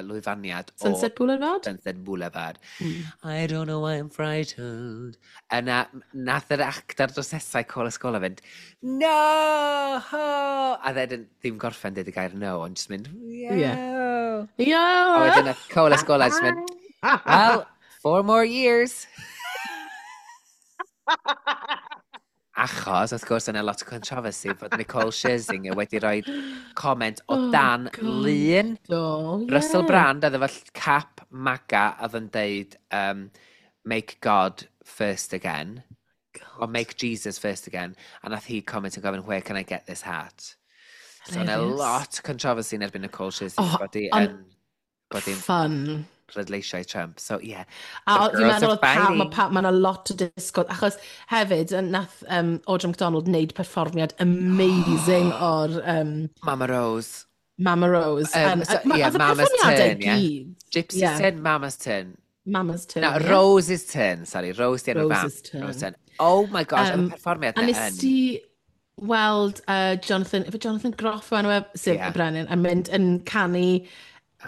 lwyfaniad o Sunset Boulevard? Sunset Boulevard. I don't know why I'm frightened. Yna, nath yr actor drosesau Cole Escola fynd, no! A then ddim gorffen dweud y gair no, ond just mynd, yeah. Yeah. A wedyn nath Cole Escola just mynd, well, 4 more years. Achos, wrth gwrs, yna lot o controversy fod Nicole Scherzinger wedi rhoi comment o dan lun. Russell Brand, oedd efo cap MAGA, oedd yn deud make God first again. God. Or make Jesus first again. A nath hi comment yn gofyn, where can I get this hat? So yna lot o controversy yn erbyn Nicole Scherzinger. Bod hi'n fun. Pleidleisiau Trump. So, yeah. A fi'n meddwl oedd mae yna lot o disgwyl, achos hefyd, nath Audra McDonald wneud perfformiad amazing o'r... Mama Rose. Mama Rose. Yeah, Mama's Turn, yeah. Gypsy's Turn, Mama's Turn. Mama's Turn, No, yeah. Rose's Turn, sorry. Rose di enw'r fam. Rose's Turn. Rose's Turn. Oh my gosh, oedd y perfformiad A nes ti weld Jonathan, efo Jonathan Groff o enw e, sef y brenin, yn mynd yn canu,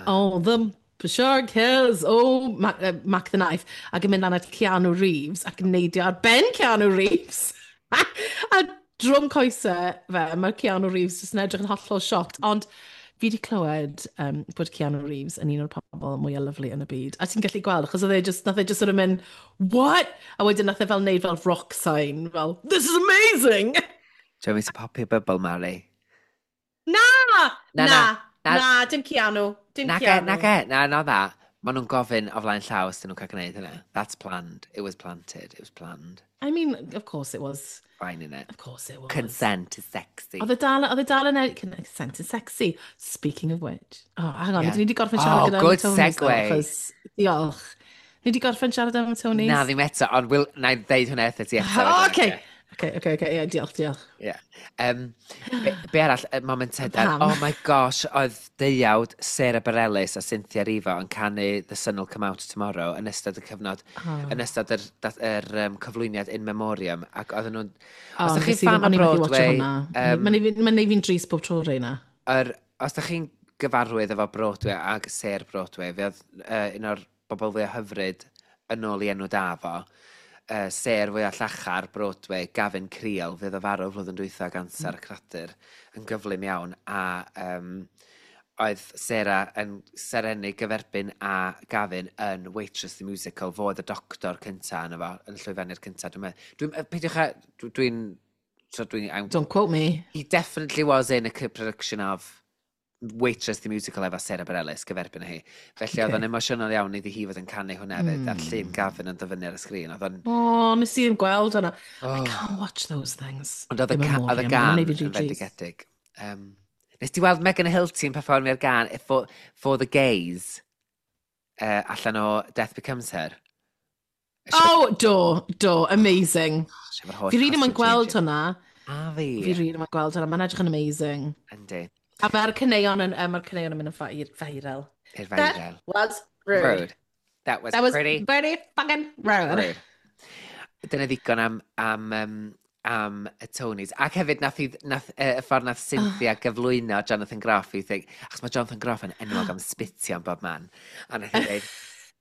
oh, the Shark Hills, oh, Mac the Knife, ac yn mynd lan at Keanu Reeves, ac yn neidio ar ben Keanu Reeves. A drwm coesau fe, mae Keanu Reeves jyst yn edrych yn hollol shocked. Ond Fi wedi clywed bod Keanu Reeves yn un o'r pobl mwyaf lyfli yn y byd. A ti'n gallu gweld, achos oedd e just, nath e just sort of mynd, "What?" A wedyn nath e fel neud fel rock sign, fel, "This is amazing!" Do you want me to pop your bubble, Mari? Na! Na, Na, na, na. Na, dim Keanu. Dim Na ge, Keanu. Na ge, na, na that. Maen nhw'n gofyn o flaen llaw os dyn nhw'n cael gwneud hynna. That's planned. It was planted. It was planned. I mean, of course it was. Fine, innit? Of course it was. Consent is sexy. Oedd e dal yn consent is sexy. Speaking of which. Oh, hang on, ydyn ni wedi gorffen siarad Oh, gyda good Tony's though, segue. achos, diolch. Ni wedi gorffen siarad am Tony's? Na, ddim eto, ond will, na i ddeud hwnna eto ti eto. Oh, okay. Okay, yeah, diolch, diolch. Yeah. Be arall, y moment hyder, Pam? oh my gosh, oedd deuawd Sarah Bareilles a Cynthia Erivo yn canu The Sun Will Come Out Tomorrow yn ystod y cyfnod, yn ystod yr cyflwyniad In Memoriam, ac oedden nhw'n. Oh, Os ydych nes chi'n i fan ddim- o o'n i methu watcho Broadway, hwnna. Mae'n neud fi'n drist bob tro reina. Os ydych chi'n gyfarwydd efo Broadway ag sêr Broadway, fe oedd un o'r bobl fwyaf hyfryd yn ôl i enw da fo, sêr fwyaf llachar Broadway, Gavin Creel, fydd o farw flwyddyn dwytha ganser mm. cradur yn gyflym iawn, a oedd Sarah yn serennu gyferbyn a Gavin yn Waitress the Musical, fo oedd y doctor cynta yna fo, yn llwyfannu'r cynta. Dwi'n meddwl, dwi'n, peidiwch â, dwi'n, so dwi'n, Don't quote me. He definitely was in a production of Waitress the Musical efo Sarah Bareilles gyferbyn â hi. Felly oedd o'n emosiynol iawn iddi hi fod yn canu hwnna hefyd, a'r llun Gavin yn dyfynnu ar y sgrin. Oedd o'n O, oh, nes i ddim gweld hwnna. I Oh. can't watch those things. Ond oedd y, Ddim yn oedd y memoriam, gan mae'n neud yn fi rhy drist. fendigedig. Nes ti weld Megan Hilty yn perfformio'r gan For the Gays allan o Death Becomes Her? Oh, do, do, amazing. Fi Fi rili moyn gweld hwnna. A fi. Fi rili moyn gweld hwnna. Mae'n edrych yn amazing. Yndi. A mae'r caneuon yn, mae'r caneuon yn mynd yn viral. I'r That viral. was rude. Rude. That was That was pretty very fucking rude. rude. Dyna ddigon am y Tonys. Ac hefyd, nath, y ffordd nath Cynthia gyflwyno Jonathan Groff i think, achos mae Jonathan Groff yn enwog am spitio am bob man. A nath hi dweud,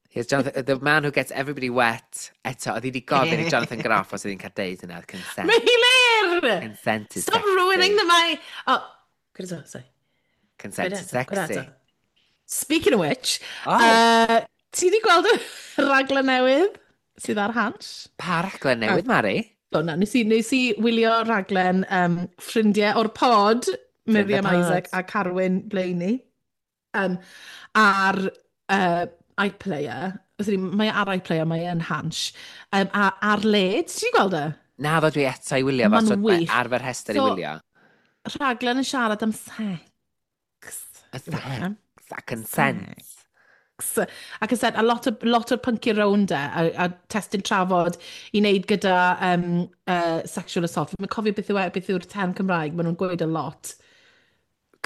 "Here's Jonathan, the man who gets everybody wet." Eto, oedd hi wedi gofyn i Jonathan Groff os oedd hi'n cael deud yna. Consent. Meilir! Consent is Stop sexy. ruining the my... Oh, gwyd eto, sorry. Consent Gwyd is eto, gwyd sexy. eto. Speaking of which, Oh, ti wedi gweld y raglen newydd sydd ar Hansh? Pa raglen newydd, Mari? O na, nes i wylio raglen ffrindiau o'r pod, Miriam pod. Isaac a Carwyn Blayney, ar iPlayer. Sorry, mae ar iPlayer, mae yn Hansh. A ar led, ti wedi gweld e? Na, fod dwi eto i wylio fo, Ma'n so mae wych. ar fy rhestr i wylio. Rhaglen yn siarad am sex. Y sex a consent. Sex. Ac yn said, a lot o'r pynciau rownd e, a testyn trafod i wneud gyda sexual assault. Fi'n cofio beth yw e, beth yw'r term Cymraeg, maen nhw'n gweud a lot.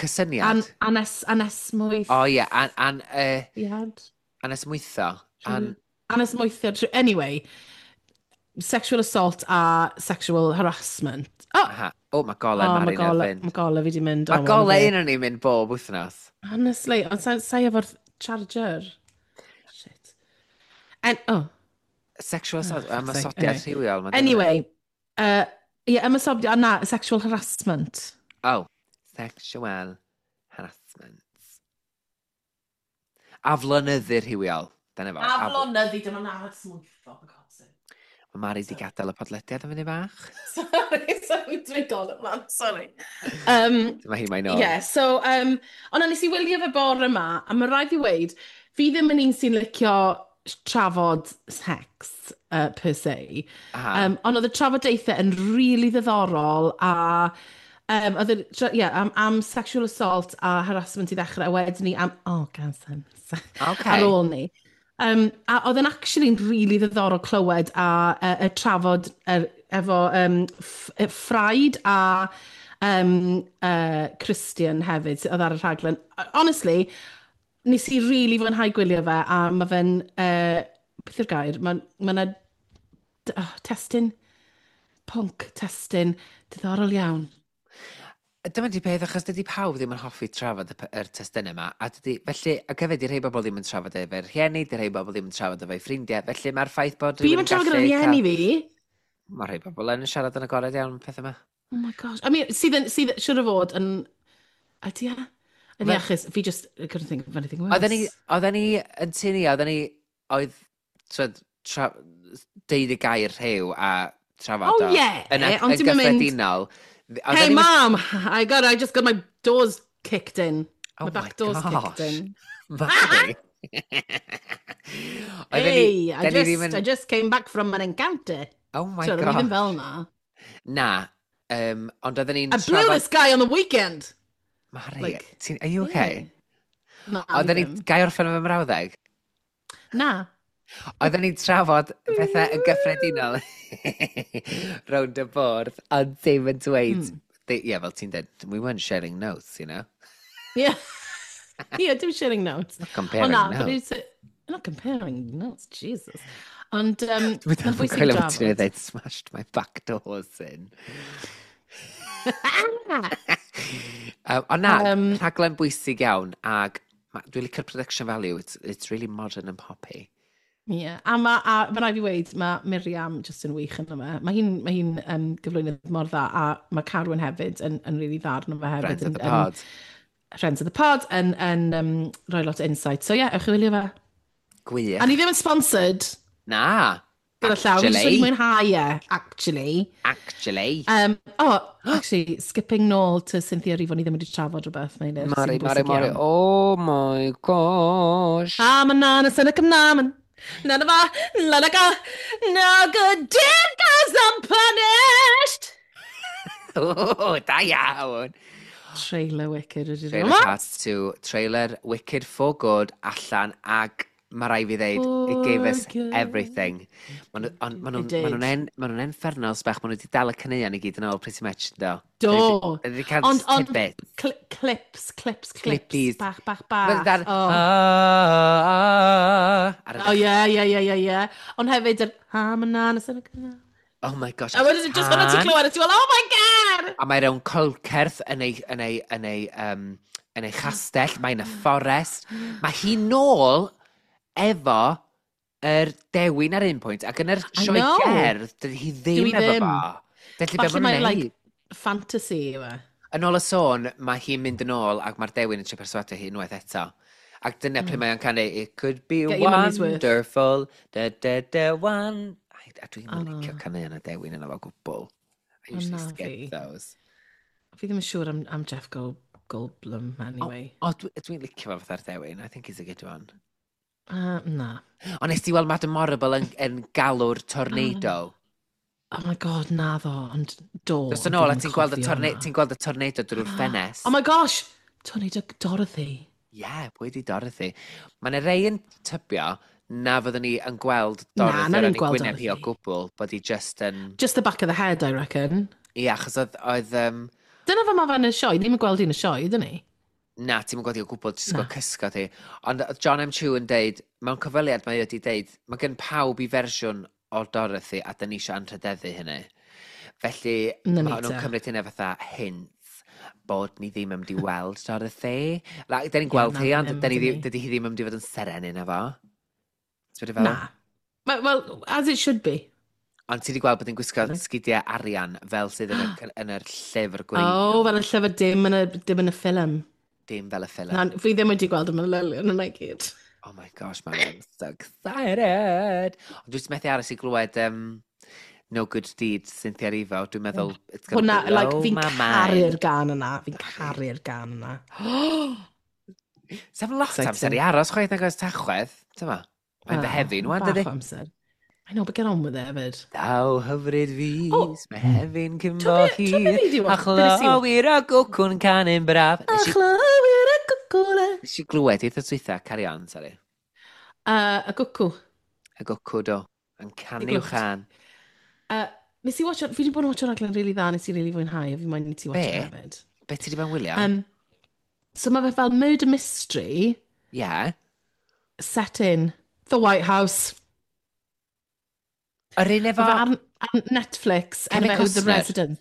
Cysyniad. Anesmwyth. O ie, Iad. anesmwytho. An, Anesmwythiad. Anyway, sexual assault a sexual harassment. Oh, aha. O, mae golau oh, Mari'n mae golau, fynd. mae golau fi di mynd. Mae Oh, golau ma' un o'n i'n mynd bob wythnos. Honestly, ond sa'i efo'r charger. Shit. And, oh, Sexual assault, Oh, fuck's sake. ymosodiad Anyway. rhywiol. Ma'n Anyway, yeah, ymosodiad, na, sexual harassment. Oh, sexual harassment. Aflonyddu rhywiol. Dyna fo. Aflonyddu, dyma na smwytho, for God's sake. Mae Mari di gadael y podlediad am fyny bach. Sorry, sorry, dwi'n golau man, sorry. Dyma hi mae'n ôl. Yeah, so, ond nes i wylio fe bore yma, a mae rhaid i weud, fi ddim yn un sy'n licio trafod sex, per se. Aha. Ond oedd y trafodaethau yn really ddiddorol a oedd y, yeah, am sexual assault a harassment i ddechrau, a wedyn ni am, oh, consent, ar ôl ni. A oedd yn actually'n really ddiddorol clywed a y trafod efo Freud a Christian hefyd, oedd ar y rhaglen. Honestly, nes i really fwynhau gwylio fe, a mae fe'n, beth yw'r gair? Mae ma 'na oh, testun, pwnc testun, diddorol iawn. Dyma di peth, achos dydy pawb ddim yn hoffi trafod yr testunau yma. A dydy, felly, ac hefyd, di rhai bobl ddim yn trafod efo'r rhieni, di rhai bobl ddim yn trafod efo'i ffrindiau. Felly mae'r ffaith bod Fi rhywun ddim yn trafod gyda gallu rhieni fi. Mae rhai bobl yn siarad yn agored iawn am peth yma. Oh my gosh. I mean, sydd, siŵr o fod yn... Ydy e? Yn iachus, fi just, I couldn't think of anything worse. Oedden ni yn tynnu, oedden ni, oedd, twyd, deud y gair rhyw a trafod oh, yeah, yn, yn gyffredinol. Hey, mom, I just got my doors kicked in. Oh my back doors gosh. Kicked in. Mari. Hey, I just came back from an encounter. Oh my so, god. Ddim fel na. Na, ond oedden ni'n I blew this guy on the weekend. Mari, Like, are you okay? Yeah. Na, Oedden ni... Gai orffen efo mrawddeg? Na. Oedden ni'n trafod pethau yn gyffredinol rownd y bwrdd, ond ddim yn dweud... Ie, fel ti'n dweud, we weren't sharing notes, you know? Yeah. Yeah, dim sharing notes. Not comparing oh, na, notes. Not comparing notes, Jesus. Ond, Dwi'n mae'n bwysig coelio drafod. Ti'n dweud, smashed my back doors in. Ond na, rhaglen bwysig iawn, ag dwi'n licio'r production value, it's really modern and poppy. Ie, yeah. A ma rhaid fi weud, mae Miriam just yn wych yn yma. Mae hi'n ma hi gyflwynydd mor dda, a mae Carwyn hefyd yn really dda arno fe hefyd. Friends of the pod. Friends of the pod yn rhoi lot o insight. So ie, yeah, ewch i wylio fe. Gwych. A ni ddim yn sponsored. Na. Gyda llaw, fi jyst wedi mwynhau e, actually. Actually. Oh, actually, skipping nôl to Cynthia Erivo, ni ddim wedi trafod rhywbeth, Meilir. Mari, Mari, Mari, oh my gosh. Ah, ma na, sy'n y cymnaman. Na na fa, la na ga, no good deed goes unpunished. Oh, da iawn. Trailer Wicked. Trailer Part 2, trailer Wicked for Good allan ag mae rai fi ddeud, it gave us everything. Maen nhw'n infernals bach, maen nhw wedi dal y caneuon i gyd yn ôl pretty much, do. Do. Wedi cael tidbits. Clips, clips, clips. Clippies. Bach, bach, bach. Oh, yeah, yeah, yeah, yeah, yeah. Ond hefyd, oh my gosh. A wedyn, just hwnna ti'n clywed, a ti'n fel, oh my god! A mae rhywun colcerth yn ei chastell, mae'n y fforest. Mae hi nôl efo yr dewin ar un pwynt, ac yn yr sioe gerdd, dydy hi ddim efo fo. Felly be maen nhw'n like, fantasy yw e. Yn ôl y sôn, mae hi'n mynd yn ôl ac mae'r dewin yn trio perswadio hi unwaith eto. Ac dyna pryd mae o'n canu, it could be wonderful, da da da one. A dwi'n licio canu yn y dewin yna fo gwbl. I usually skip those. Fi ddim yn siŵr am Jeff Goldblum, anyway. O, dwi'n licio fo fatha'r dewin. I think he's a good one. Na. Ond nes ti weld Madame Morrible yn galw'r tornado? Oh my god, na ddo, ond do. Dos yn ôl, a ti'n gweld y tornado drwy'r ffenest. Oh my gosh! Tornado Dorothy. Ie, yeah, pwy di Dorothy? Mae yna rei yn tybio na fyddwn ni yn gweld Dorothy ar ei gwyneb hi o gwbl, bod hi just yn... Just the back of the head, I reckon. Ie, yeah, achos oedd... Dyna fe mae fe'n y sioe, ni'n gweld hi'n y sioe, ydyn ni? Na, ti'n gweld hi o gwbl, ti'n gweld cysgod hi. Ond John M. Chu yn deud, mewn cyfweliad mae wedi deud, mae gen pawb i fersiwn o Dorothy a dyn ni eisiau anrhydeddu hynny. Felly, mae nhw'n cymryd hynny fatha hint bod ni ddim yn mynd i weld Dorothy. Like, dyn ni'n gweld hi, ond dydy hi ddim yn mynd i fod yn seren yna fo. Na. Well, as it should be. Ond ti wedi gweld bod hi'n gwisgo sgidiau arian fel sydd yn yr llyfr gwreiddiol. Oh, fel y llyfr dim yn y ffilm. Dim fel y ffilm. Na, fi ddim wedi gweld y manylion yna i gyd. Oh my gosh, man, I'm so excited. Ond dwi'n methu aros i glywed No Good Deed Cynthia Erivo. Dwi'n meddwl, it's gonna blow like, my mind. Fi'n caru'r gan yna. Fi'n caru'r gan yna. Sef lot amser i aros chwaith nag oes Tachwedd. Tyma, mae'n Fehefin, wan, dydy? Bach o amser. I know, but get on with it hefyd. Daw hyfryd fus, mae hefyn cyn bo hir, a chlywir y gwcwn canu'n braf. A chlywir y gwcwn. Nes i glywed eitha dwytha, carry on, sorry. Y gwcw. Y gwcw, do. Yn canu chan. Nes i watch, fi wedi bod yn watch raglen really dda, nes i really fwynhau, a fi moyn i ti watch hefyd. Be ti wedi bod yn wylio? So mae fe fel murder mystery. Yeah. Set in the White House. Yr un efo... Ar Netflix, Kevin The Resident.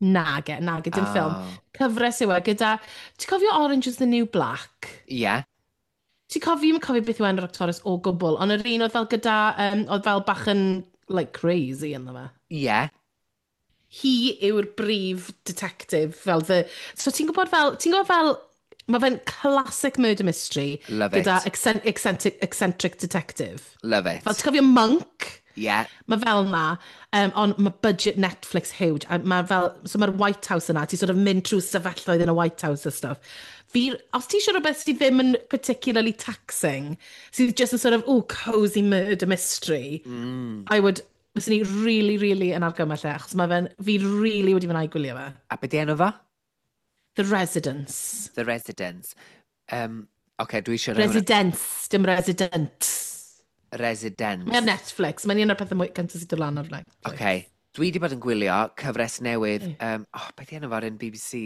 Nage, dim ffilm. Cyfres yw e gyda... Ti'n cofio Orange is the New Black? Ie. Yeah. Ti'n cofio, fi'n cofio beth yw enw'r actores o gwbl, ond yr un oedd fel gyda... oedd fel bach yn, like, crazy ynddo fe. Ie. Yeah. Hi yw'r brif detective, fel the... So ti'n gwybod fel... Ti'n gwybod fel Mae fe'n classic murder mystery. Love it. Gyda eccentric, eccentric detective. Love it. Fel, ti'n cofio Monk? Yeah. Mae fel na, ond mae budget Netflix huge. A mae fel, so mae'r White House yna, ti sort of mynd trwy stafelloedd yn y White House a stuff. Fi, os ti eisiau rhywbeth sydd ddim yn particularly taxing, sydd just yn sort of, oh, cozy murder mystery, I would, fyswn i really, really yn argymell e, achos mae fe'n, fi really wedi fwynhau gwylio fe. A be di enw fo? The Residence. The Residence. Oce, dwi eisiau rhoi hwnna. Residence, dim Resident. Residence. Mae ar Netflix, mae'n un o'r pethau mwy cyntaf sydd dod lan ar Netflix. Oce. Dwi wedi bod yn gwylio cyfres newydd. Oh, beth di enw fo'r un BBC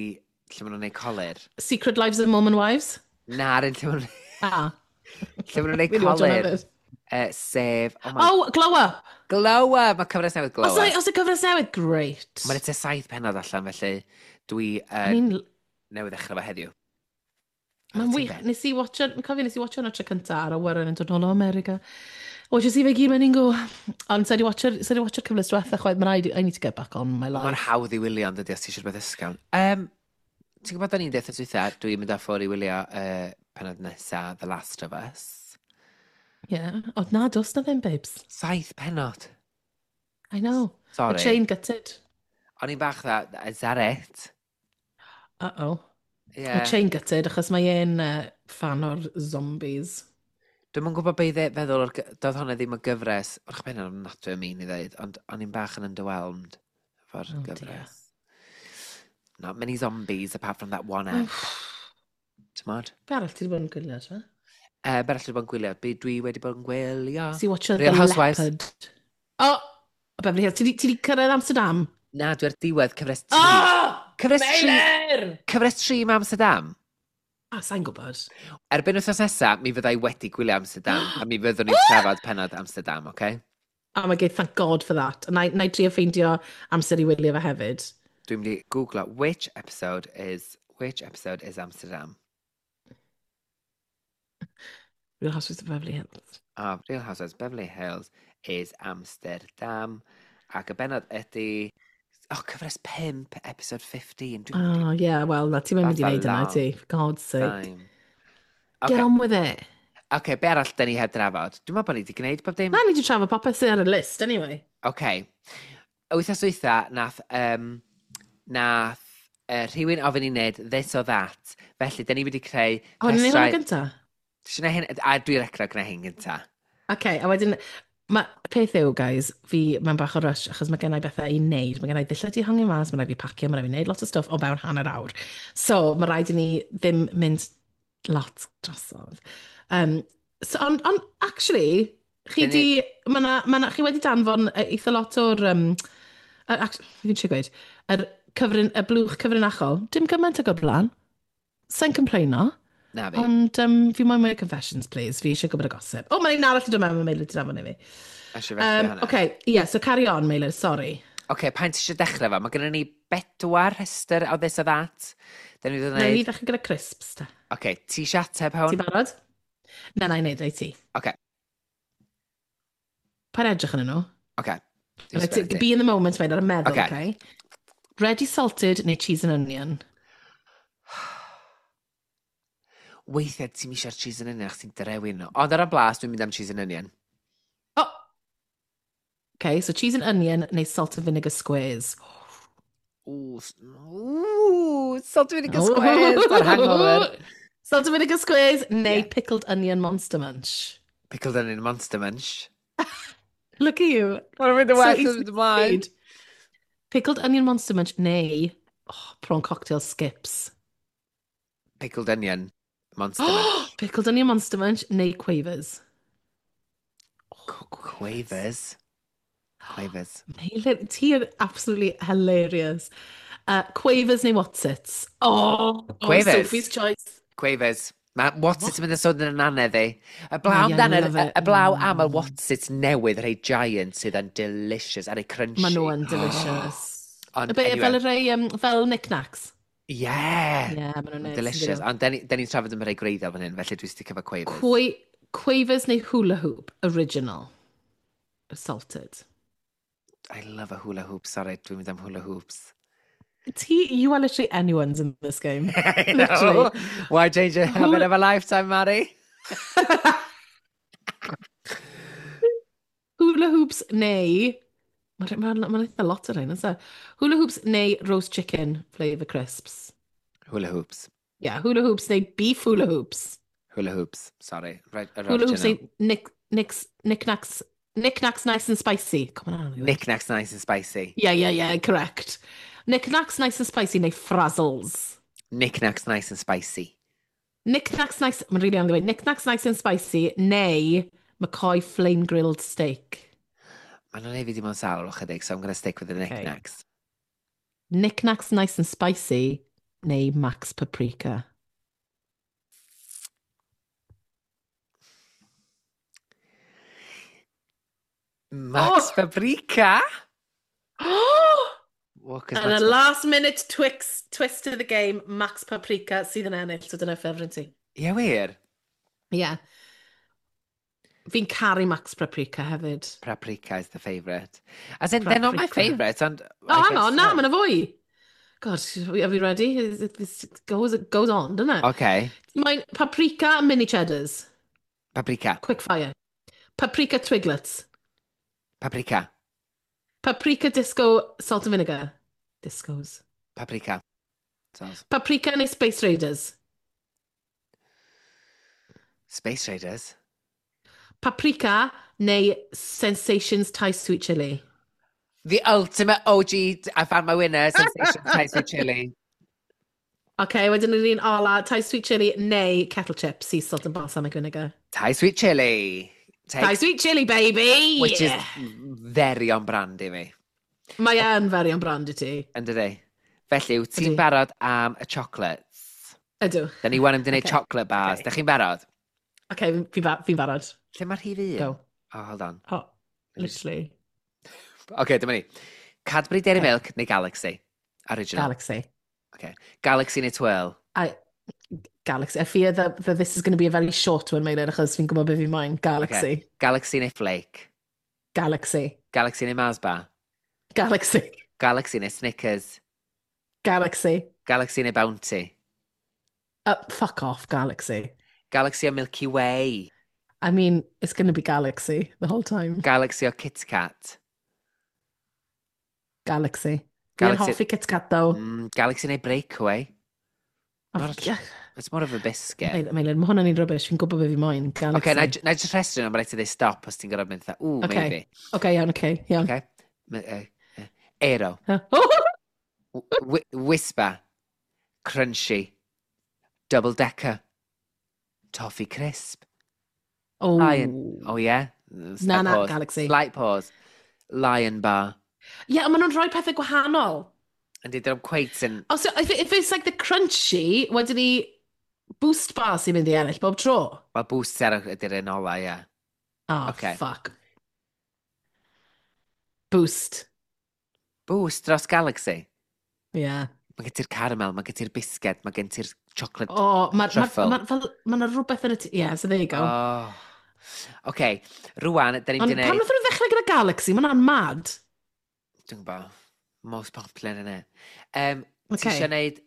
lle maen nhw'n neud colur? Secret Lives of Mormon Wives? Na, yr un lle maen nhw'n Ah. lle maen nhw'n neud Fi 'di watcho hwnna colur. hefyd. Sef... Oh my... Oh, Glow Up! Glow Up! Mae cyfres newydd Glow Os Up. oes y cyfres newydd, great. Mae'n tua 7 pennod allan, felly dwi I mean, newydd ddechrau fo heddiw. Mae'n Ar wych. ti, Ben? Nes i watcho, fi'n cofio nes i watcho hwnna tro cynta ar awyren yn dod nôl o America. Watches i fe gyd mewn un go. Ond sa i 'di watcho'r cyfres diwetha chwaith, mae'n rhaid, I need to get back on my Mae'n life. hawdd i wylio, ond dydy, os ti eisiau rhywbeth ysgafn. Ti'n gwybod da ni'n deud dwytha, dwi'n mynd â ffwrdd i wylio penod nesa, The Last of Us. Yeah. Ond na, dos na ddim, babes. 7 pennod. I know. Sorry. The chain gutted. O'n i'n bach dda, is that it? Uh-oh. Yeah. The chain gutted, achos mae e'n fan o'r zombies. Dwi'm yn gwybod be i feddwl, o'r doedd hwnna ddim o gyfres, wrach ben o'n ofnadwy o mean i ddeud, ond o'n i'n bach yn underwhelmed efo'r Oh, dear. gyfres. Not many zombies apart from that one ep. T'mod? Be arall ti wedi bod yn gwylio, ti'n? Be arall wedi bod yn gwylio? Be dwi wedi bod yn gwylio? Si watcho Real The Housewives. Leopard. Oh! Beverly Hills. Ti di cyrraedd Amsterdam? Na, dwi ar diwedd cyfres 3. Oh! Cyfres 3! Meilir! Cyfres 3 mae Amsterdam. Ah, sa'n gwybod. Erbyn wythnos nesa, mi fyddai wedi gwylio Amsterdam, a mi fyddwn ni'n trafod pennod Amsterdam, oce? Okay? Oh my God, thank God for that. A na i drio ffeindio amser i wylio fe hefyd. Dwi'n mynd i googlo which episode is Amsterdam? Real Housewives of Beverly Hills. Ah, Real Housewives Beverly Hills is Amsterdam. Ac y bennod ydy... Oh, cyfres 5, episode 15. Dwi'n mynd i Oh, yeah, well, na, ti'n mynd i That's a wneud yna, long ti. For God's sake. time. Get Okay, on with it. okay, be arall da ni heb drafod? Dwi'n meddwl bod ni wedi gwneud bob dim. Na, ni wedi trafod popeth sydd ar y list, anyway. Okay. Wythnos dwytha, nath rhywun ofyn i wneud this or that. Felly, da ni wedi creu O, ni'n neud hwnna rhestrau. gynta? Ti isio neud hyn? A dwi'n recro gwneud hyn gynta. Okay, a wedyn, ma, peth yw, guys, fi mewn bach o rush, achos mae gennau bethau i wneud. Mae gennau ddillad i hongi mas, mae rhaid fi pacio, mae rhaid fi wneud lot o stwff o fewn hanner awr. So, mae rhaid i ni ddim mynd lot drosodd. So, ond, actually, chi Dyn di, ma na, chi wedi danfon eitha lot o'r, fi'n trio gweud, yr cyfrin, y blwch cyfrinachol, dim gymaint ag o'r blaen. Sa'n complaino. Na fi. Ond fi moyn mwy o confessions, please. Fi eisiau gwybod y gossip. O, mae'n un arall i dod mewn, mae Meilir wedi danfon i fi. Eisiau felly hwnna. Okay, yeah, so carry on, Meilir, sorry. Oce, pa'n ti eisiau dechrau fo? Mae gennym ni bedwar rhestr o this or that. Da ni wedi Na, ni gwneud. ddechrau gyda crisps, ta. Oce, ti eisiau ateb Ti hwn? barod? Na, na i wneud, ei ti. Oce, Pa'n edrych yn nhw? oce. Dwi'n Right, sbio ar ti. Be in the moment, mate, ar y meddwl, Ocê. okay? Ready salted neu cheese and onion? Weithiau ti'n eisiau'r cheese and onion achos ti'n drewi nhw. Ond ar y blas, dwi'n mynd am cheese and onion. Oh! Okay, so cheese and onion neu salt and vinegar squares. Ooh, ooh, salt and vinegar squares ar hangover. Salt and vinegar squares neu Yeah. pickled onion monster munch. Pickled onion monster munch. Look at you. Mae'n mynd yn So well easy yn mynd ymlaen. made. Pickled onion monster munch neu oh, prawn cocktail skips. Pickled onion monster munch. Pickled onion monster munch neu quavers. Oh, Quavers. Quavers. Meilir, ti yn absolutely hilarious. Quavers neu Wotsits? Oh, Quavers. Sophie's choice. Quavers. Mae Wotsits yn mynd yn sôn yn anedd i. Y blaw Oh, yeah, amdan I yr- love it. y blaw am y Wotsits newydd, rhai giant sydd yn delicious, a rhai crunchy. Maen nhw yn delicious. Ond Y be, anyway. fel y rhai, fel knickknacks. Yeah. Yeah, maen nhw'n neis. Delicious. Ond da ni'n trafod am rhai gwreiddiol fan hyn, felly dwi'n sticio efo Quavers. Quavers neu hula hoop, original. Salted. I love a hula hoop. Sorry, dwi'n mynd am hula hoops. Ti, you are literally anyone's in this game. I Literally. know. Why change a habit of a lifetime, Mari? Hula hoops neu... Mae'n ma, ma, ma eitha lot o rhain, oes e? Hula hoops neu roast chicken flavour crisps. Hula hoops. Yeah, hula hoops neu beef hula hoops. Hula hoops, sorry. Right, yr Hula hoops original. neu nick, nicks, knickknacks, knickknacks nice and spicy. Come on, Anna. Knickknacks nice and spicy. Yeah, yeah, yeah, correct. Knickknacks nice and spicy neu frazzles. Knickknacks nice and spicy. Knickknacks nice... Mae'n really anodd i weud. Knickknacks nice and spicy neu McCoy flame grilled steak. Maen nhw'n neud fi dim ond sal chydig, so I'm going to stick with the Okay. knickknacks. Knickknacks nice and spicy neu Max Paprika. Max Oh! Paprika? Well, 'cause And Max a last minute twist to the game, Max Paprika sydd yn ennill, so dyna ffefryn ti. Ie, wir. Yeah. Fi'n caru Max Paprika hefyd. Paprika is the favourite. As in, they're not my Paprika. favourite, ond... Oh, hang on, na, mae'n fwy. God, are we ready? It goes on, doesn't it? Okay. Mae'n paprika and mini cheddars. Paprika. Quick fire. Paprika twiglets. Paprika. Paprika disco salt and vinegar. Discos. Paprika. Sounds. Paprika neu Space Raiders. Space Raiders. Paprika neu Sensations Thai Sweet Chili. The ultimate OG, I found my winner, Sensation Thai Sweet Chili. OK, wedyn yr un ola, Thai Sweet Chili neu Kettle Chips, sea salt and balsamic vinegar. Thai Sweet Chili. Take, Thai Sweet Chili, baby! Which is very on brand i fi. Mae yn very on brand i ti. Yn dydi? Felly, wyt ti'n Ydi. barod am y chocolates? Ydw. Da ni wan yn mynd i wneud Okay. chocolate bars. Okay. Da chi'n barod? OK, fi'n ba fi barod. Lle mae'r rhif un? Go. Oh, hold on. Oh, literally. OK, dyma ni. Cadbury Dairy Okay. Milk neu Galaxy? Original. Galaxy. Okay. Galaxy neu Twirl? I, Galaxy. I fear that this is going to be a very short one, Meilir, achos fi'n gwybod beth fi moyn. Galaxy. Okay. Galaxy neu Flake? Galaxy. Galaxy neu Mars Bar? Galaxy. Galaxy neu Snickers? Galaxy. Galaxy neu Bounty? Fuck off, Galaxy. Galaxy o Milky Way? I mean, it's going to be Galaxy the whole time. Galaxy o Kit Kat? Galaxy. Fi'n Galaxy- hoffi Kit Kat, though. Galaxy neu Breakaway? Oh, Not yeah. It's more of a biscuit. Meilir, mae hwnna'n un rubbish. Fi'n gwybod beth fi moyn. Galaxy. Okay, na i just rhestru nhw, mae rhaid ti ddeud stop os ti'n gorfod mynd fatha, ooh, Okay. maybe. Okay, iawn, okay, iawn. Okay. Aero. Oh! Whisper. Crunchy. Double Decker. Toffee Crisp. Oh. Lion. Oh, yeah? Slight Na, na, pause. Galaxy. Slight pause. Lion Bar. Ie, yeah, ond maen nhw'n rhoi pethau gwahanol. And did them quite yn... Oh, so if it's like the crunchy, wedyn ni boost bar sy'n mynd i ennill bob tro. Wel, booster ydy'r un ola, ie. Oh, Okay. fuck. Boost. Boost dros Galaxy. Yeah. Mae gen ti'r caramel, mae gen ti'r bisged, mae gen ti'r chocolate Oh, mae'r ma, truffle. ma, fel, ma 'na rhywbeth yn y... Yeah, so there you go. Oh. OK, rwan, da ni'n Ond mynd i pam wneud... nath nhw ddechrau gyda Galaxy? Mae hwnna'n mad. Dwi'n gwybod. Most popular yna. Ti Okay. eisiau gwneud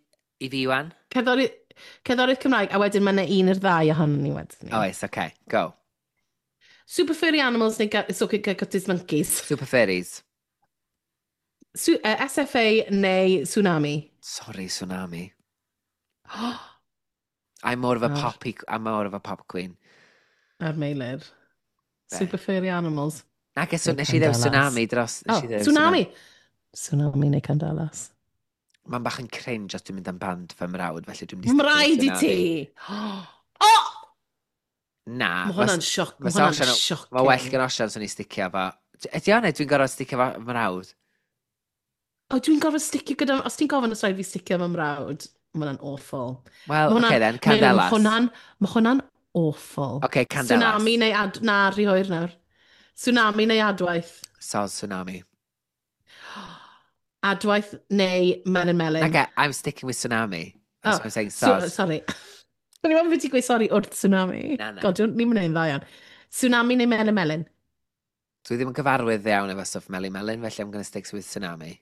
i fi wan? Cerddoriaeth Cymraeg, a wedyn mae yna un i'r ddau ohonon ni wedyn ni. Oes, OK, go. Super Furry Animals neu So Got His Monkeys. Super Furries. SFA neu Tsunami. Sorry, Tsunami. I'm more of a Ar. poppy, I'm more of a pop queen. Ar Meilir. Be? Super Furry Animals. Na, guess Neu nes i ddew Candelas. Tsunami dros... nes Oh, i ddeud Tsunami! Tsunami neu Candelas. Mae'n bach yn cringe os dwi'n mynd am band fy mrawd, felly dwi'n mynd i Mae'n sticio rhaid i with ti! Tsunami. Oh! Na. Mae hwnna'n sioc. Mae fysa hwnna'n Osian- shocking. Mae well gan Osian swn i sticio fo. Ydy o'n dwi'n gorfod sticio fo fy mrawd? O, dwi'n gorfod sticio gyda... Os ti'n gofyn os rhaid fi sticio fy mrawd, mae hwnna'n awful. Wel, Ma' hwnna'n- okay then, Mae Candelas. hwnna'n ma hwnna'n awful. Okay, Candelas. Tsunami neu ad... Na, rhy hwyr nawr. Tsunami neu adwaith. Soz Tsunami. Adwaith neu Melyn Melyn. Okay, I'm sticking with Tsunami. That's Oh, what I'm saying, So, soz. sorry. O'n i'n meddwl bod ti'n gweud sori wrth tsunami. Na, na. God, ni'n mynd i'n dda iawn. Tsunami neu Melyn Melyn? Dwi ddim yn gyfarwydd iawn efo stwff Melyn Melyn, felly I'm going to stick with Tsunami.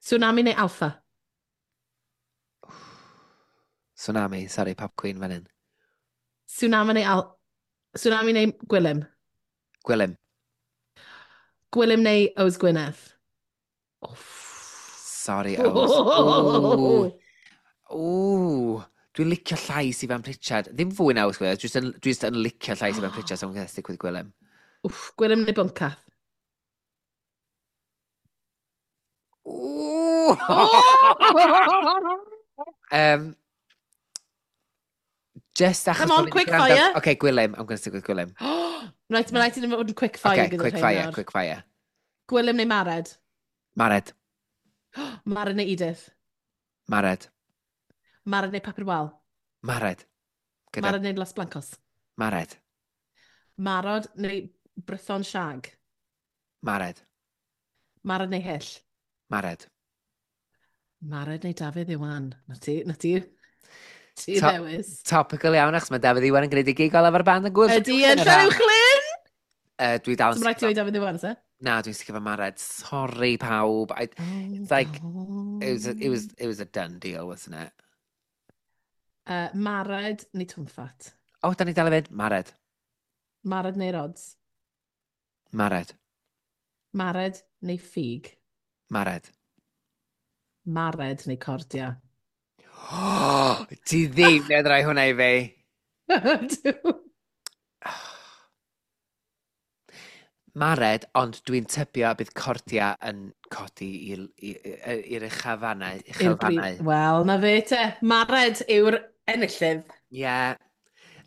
Tsunami neu Alpha? Tsunami, sorry, Pop Queen fan hyn. Tsunami neu Al... Tsunami neu Gwilym? Gwilym. Gwilym neu Ows Gwynedd? Oh. Sorry, Ows. Ooh. Ooh. Dwi'n licio llais Ifan Pritchard. Ddim fwy na Ows Gwynedd, dwi just yn licio llais Ifan Pritchard, so I'm going to stick with Gwilym. Wff, Gwilym neu Bwncath? Ooh! Just achos... Come on, quick fire. Okay, Gwilym. I'm going to stick with Gwilym. Right, mae'n rhaid i ni fod yn quick fire okay, gyda quick fire, quick fire. Gwilym neu Mared? Mared. Mared neu Edith? Mared. Mared neu Papur Wal? Mared. Gyda... Mared neu Los Blancos? Mared. Marod neu Brython Shag? Mared. Mared neu Hyll? Mared. Mared neu Dafydd Iwan? Na ti, na ti. Ti ddewis. Topical iawn, achos mae Dafydd Iwan yn gwneud ei gig olaf ar band yn gwyl. Ydy yn Llanuwchllyn? Dwi dal yn... Mae'n rhaid ti oed Dafydd Iwan, se? Na, dwi'n sicr efo Mared. Sorry, pawb. It's like, it was a done deal, wasn't it? Mared neu Twmffat? O, oh, da ni dal i fynd. Mared. Mared neu Rods? Mared. Mared neu Ffug? Mared. Mared neu Cordia? Oh, ti ddim yn rhoi hwnna i fi. Dw. Mared, ond dwi'n tybio bydd Cordia yn codi i'r uchafannau. Uchelfannau. Wel, na fe te. Mared yw'r enillydd. Ie. Yeah.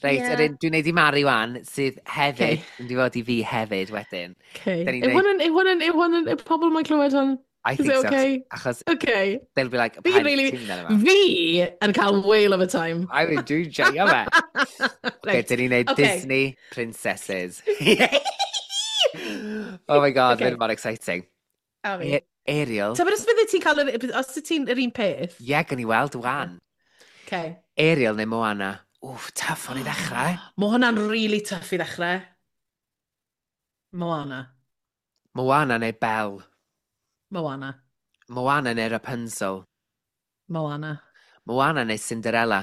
Reit, yeah. Dwi'n neud i Mari wan, sydd hefyd, okay. Yn fod i fi hefyd wedyn. Okay. Yw hwn yn, yw pobl mae'n clywed hwn? I Is think it so. Okay? Achos Okay. they'll be like, Fi "Paid really, ti'n mynd yma." Fi yn cael whale of a time. I would do joio fe. Okay, Right. dyn ni'n neud Okay. Disney princesses. Oh my God, Okay. okay. Mor exciting. A fi. Ariel. Ta, but os bydde ti'n cael, os y ti'n yr un peth? Ie, yeah, gan i weld wan. Okay. Ariel neu Moana? Wff, tough o'n i ddechrau. Mae hwnna'n really tough i ddechrau. Moana. Moana neu Belle? Moana. Moana neu Rapunzel? Moana. Moana neu Cinderella?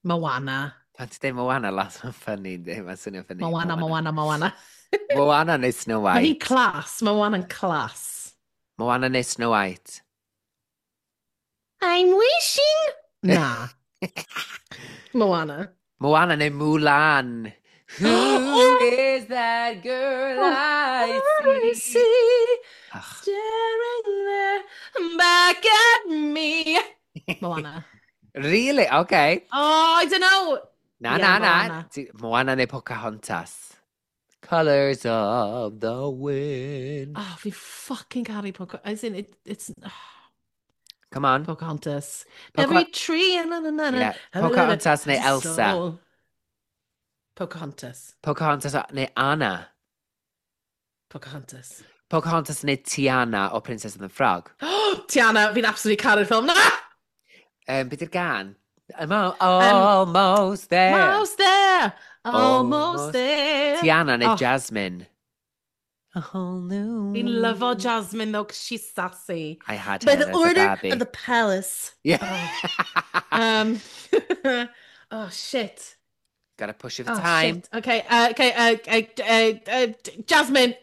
Moana. Pan ti'n dweud Moana, lot mae'n funny, yndi? Mae'n swnio'n funny. Moana, Moana, Moana. Moana neu Snow Mae hi'n White? class. Mae Moana'n class. Moana neu Snow White? I'm wishing... Na. Moana. Moana neu Mulan? Who Oh! is that girl I I see? see Ach. staring there back at me. Moana. Really? Okay. Oh, I don't know. Na, Yeah, na, na. Moana. Moana neu Pocahontas? Colours of the wind. Oh, fi fucking caru Pocahontas. As in, it's... Come on. Pocahontas. Every tree... Na, na, na, na, Yeah. Pocahontas neu Elsa? Soul. Pocahontas. Pocahontas neu Anna? Pocahontas. Pocahontas neu Tiana o Princess and the Frog? Tiana, fi'n absolutely caru'r ffilm na! Be di'r gan? I'm almost there. Almost there! Almost Almost. there! Tiana neu Oh. Jasmine? A whole new... Fi'n lyfo Jasmine though, 'cause she's sassy. I had By her the as a order Barbie. of the palace. Yeah. Oh, shit. Gotta push it for Oh, time. shit. Okay, okay, Jasmine.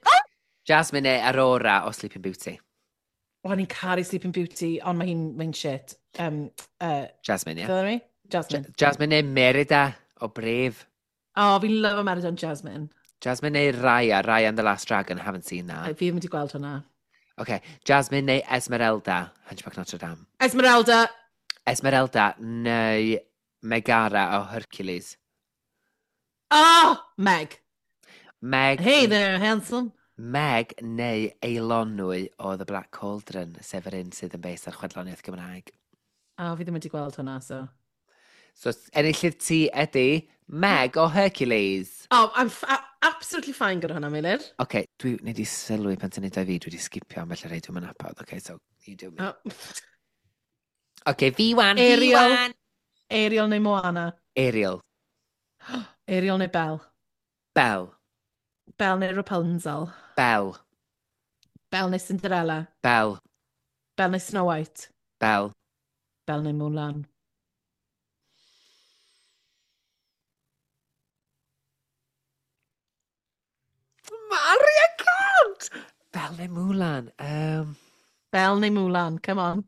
Jasmine neu Aurora o Sleeping Beauty. Oh, o'n i'n caru Sleeping Beauty, ond mae hi'n mae shit. Jasmine, yeah. Yeah. Me? Jasmine. Jasmine neu Merida o Brave. Oh, fi'n lyfo Merida and Jasmine. Jasmine neu Raya, Raya and the Last Dragon, haven't seen that. Fi ddim wedi gweld hwnna. Okay, Jasmine neu Esmeralda, Hunchback Notre Dame. Esmeralda. Esmeralda neu Megara o Hercules. Oh, Meg. Meg, Hey there, handsome. Meg neu Eilonwy o The Black Cauldron, sef yr un sydd yn based ar chwedloniaeth Gymraeg. Oh, fi ddim wedi gweld hwnna, so. So, enillydd ti ydy Meg o Hercules. Oh, I'm absolutely fine gyda hwnna, Meilir. Oce, okay, dwi wneud i sylwi pan ti'n neud o i fi, dwi wedi skipio ambell i rei dwi'n nabod. Oce, okay, so you do me. Oh. Oce, okay, fi wan, fi Ariel. wan. Ariel neu Moana. Ariel. Ariel neu Belle. Belle. Belle neu Rapunzel. Belle. Belle neu Cinderella. Belle. Belle neu Snow White. Belle. Belle neu Mulan. neu Mulan? Belle neu Mulan, come on.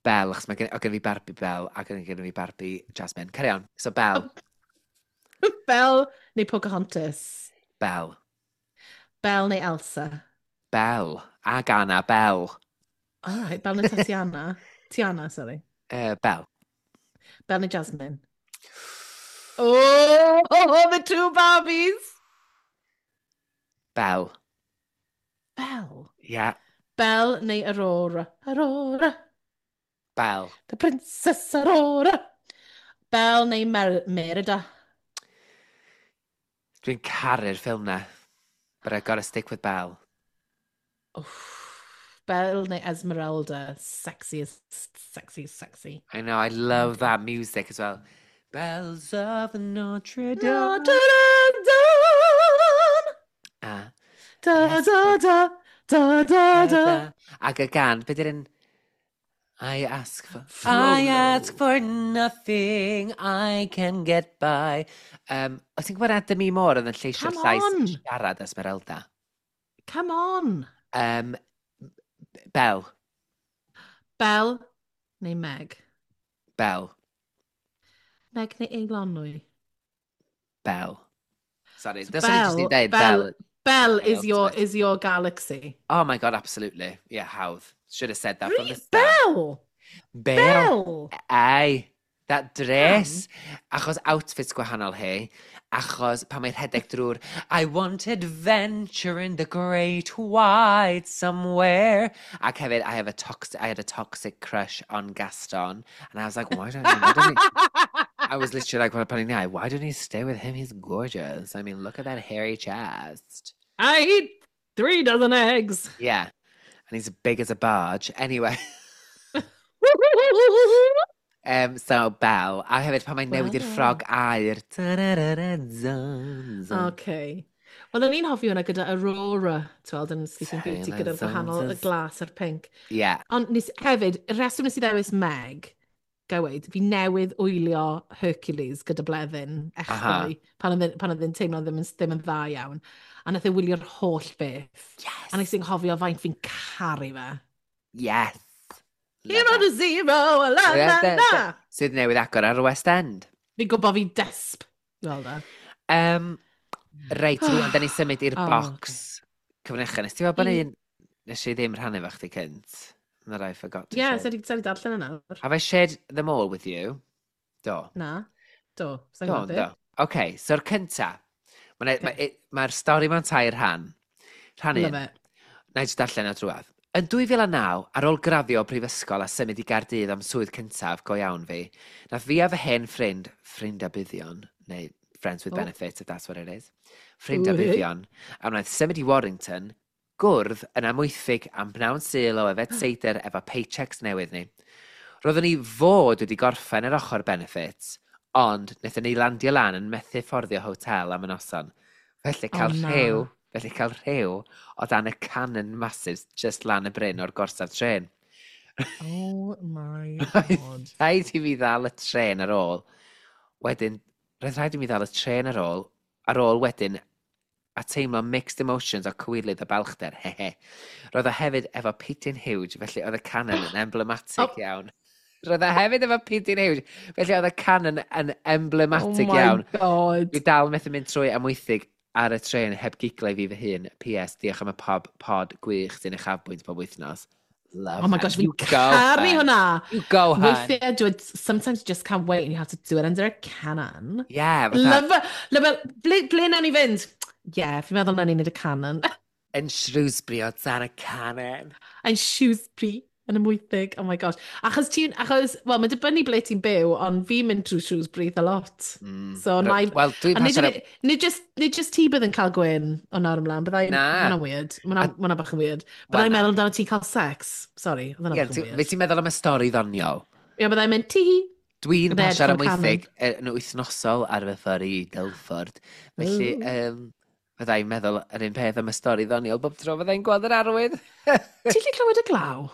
Belle, achos mae gen fi Barbie Belle ac gen fi Barbie Jasmine. Carry on. So Belle. Belle neu Pocahontas? Belle. Belle neu Elsa? Belle. Ag Anna, Belle. All right, Belle neu Tatiana? Tiana, sorry. Belle. Belle neu Jasmine? Oh, the two Barbies! Belle. Belle? Yeah. Belle neu Aurora? Aurora. Belle. The Princess Aurora. Belle neu Merida? Dwi'n caru'r ffilm na. But I gotta stick with Belle. Oof. Belle neu Esmeralda? Sexiest, sexy, sexy. I know, I love that music as well. Bells of Notre Dame. Notre Dame. Ah, Da, yes, da, da, da, da, da. Da. Ac y gân, beth yw'r un? I ask Frollo. for nothing, I can get by. O ti'n gwybod Demi Moore oedd yn lleisio'r Come llais on! siarad Esmeralda? Come on! Belle. Belle neu Meg? Belle. Meg neu Eilonwy? Belle. Sorry, So dylswn i jyst i Belle, dweud Belle, Belle. Belle My is your ultimate. is your galaxy. Oh my God, absolutely. Yeah, hawdd. Should have said that from the Really? start. Belle! Belle. Belle! Ai, that Pam? dress. Achos outfits gwahanol hi. Achos pan mae'n rhedeg drwy'r "I want adventure in the great wide somewhere." Ac hefyd, I had a toxic crush on Gaston. And I was like, why don't he... I was literally like, well, pan i'n iau, "Why don't you stay with him? He's gorgeous. I mean, look at that hairy chest." I eat 3 dozen eggs. Yeah. And he's big as a barge. Anyway. So, Belle. A hefyd pan mae'n newid i'r ffrog aur. Ta-ra-ra-ra-dun, dun. Okay. Wel, o'n i'n hoffi hwnna gyda Aurora, ti'n weld, yn Sleeping Beauty, Taylor gyda'r gwahanol, y Swift. glas a'r pink. Ond nes, hefyd, y reswm nes i ddewis Meg, ga i weud, fi newydd wylio Hercules gyda Bleddyn echddoe, pan oedd e'n teimlo ddim yn dda iawn. A nath e wylio'r holl beth. A nes i'n cofio faint fi'n caru fe. Yes. Love Hero it. to zero, la la la. Sydd newydd agor ar y West End. Fi'n gwybod fi desp. Wel da. Reit, rwan, da ni symud i'r Oh, box cyfrinachau. Nes ti weld bod un nes i ddim rhannu efo chdi cynt? That I forgot to Yeah, share. sa'i di darllen yna. Have I shared them all with you? Do. Na. Do. Sa'n Do, gwybod do. OK, so'r cynta. Mae'r ma, ma stori mewn tair rhan. Rhan un. Love it. Na i jyst darllen o drwadd. Yn 2009, ar ôl graddio o brifysgol a symud i Gaerdydd am swydd cyntaf go iawn fi, nath fi a fy hen ffrind, ffrind a buddion, neu friends with benefits, if that's what it is, ffrind a Wee. buddion, a wnaeth symud i Warrington, gwrdd yn Amwythig am bnawn Sul o yfed seidr efo paychecks newydd ni. Roeddwn ni fod wedi gorffen yr ochr benefits, ond wnaethon ni landio lan yn methu fforddio hotel am y noson. Felly cael Oh, na. rhyw, felly cael rhyw o dan y cannon massive just lan y bryn o'r gorsaf tren. Oh my Roedd God. rhaid i fi ddal y tren ar ôl. Wedyn, roedd rhaid i mi ddal y tren ar ôl wedyn, a teimlo mixed emotions o cywilydd a balchder, hehe. Roedd o hefyd efo pidyn huge, felly oedd y cannon yn emblematic iawn. Roedd o hefyd efo pidyn huge, felly oedd y cannon yn emblematic Oh my iawn. God. Dwi dal methu mynd trwy Amwythig ar y tren heb giglo i fi fy hun. PS, diolch am y pod gwych sy'n uchafbwynt pob wythnos. Love Oh my her. gosh, fi'n You go, caru hun. hwnna. You go, hun. Weithiau, dwi, sometimes you just can't wait and you have to do it under a cannon. Yeah, fatha, Love, love, ble nawn ni fynd? Yeah, fi'n meddwl nawn ni wneud y cannon. Yn Shrewsbury o dan y cannon. And Shrewsbury yn Amwythig. Oh my gosh. Achos, wel, mae'n dibynnu ble ti'n byw, ond fi'n mynd trwy Shrewsbury eitha lot. So, na i. Wel, dwi'n A nid, pasio... nid just ti bydd yn cael gwyn o nawr ymlaen, byddai. Na. Ma' hwnna'n weird. Ma' hwnna bach yn weird. Byddai'n Wel, meddwl amdano ti'n cael sex. Sorry, oedd hwnna Ie, bach yn fe weird. ti'n meddwl am y stori ddoniol? Ie, byddai'n mynd ti. Dwi'n Byddai pasio ar edrych am y Amwythig yn wythnosol ar fy ffordd i Guildford. Felly, fyddai'n meddwl yr un peth am y stori ddoniol bob tro fyddai'n gweld yr arwydd. Ti'n gallu clywed y glaw?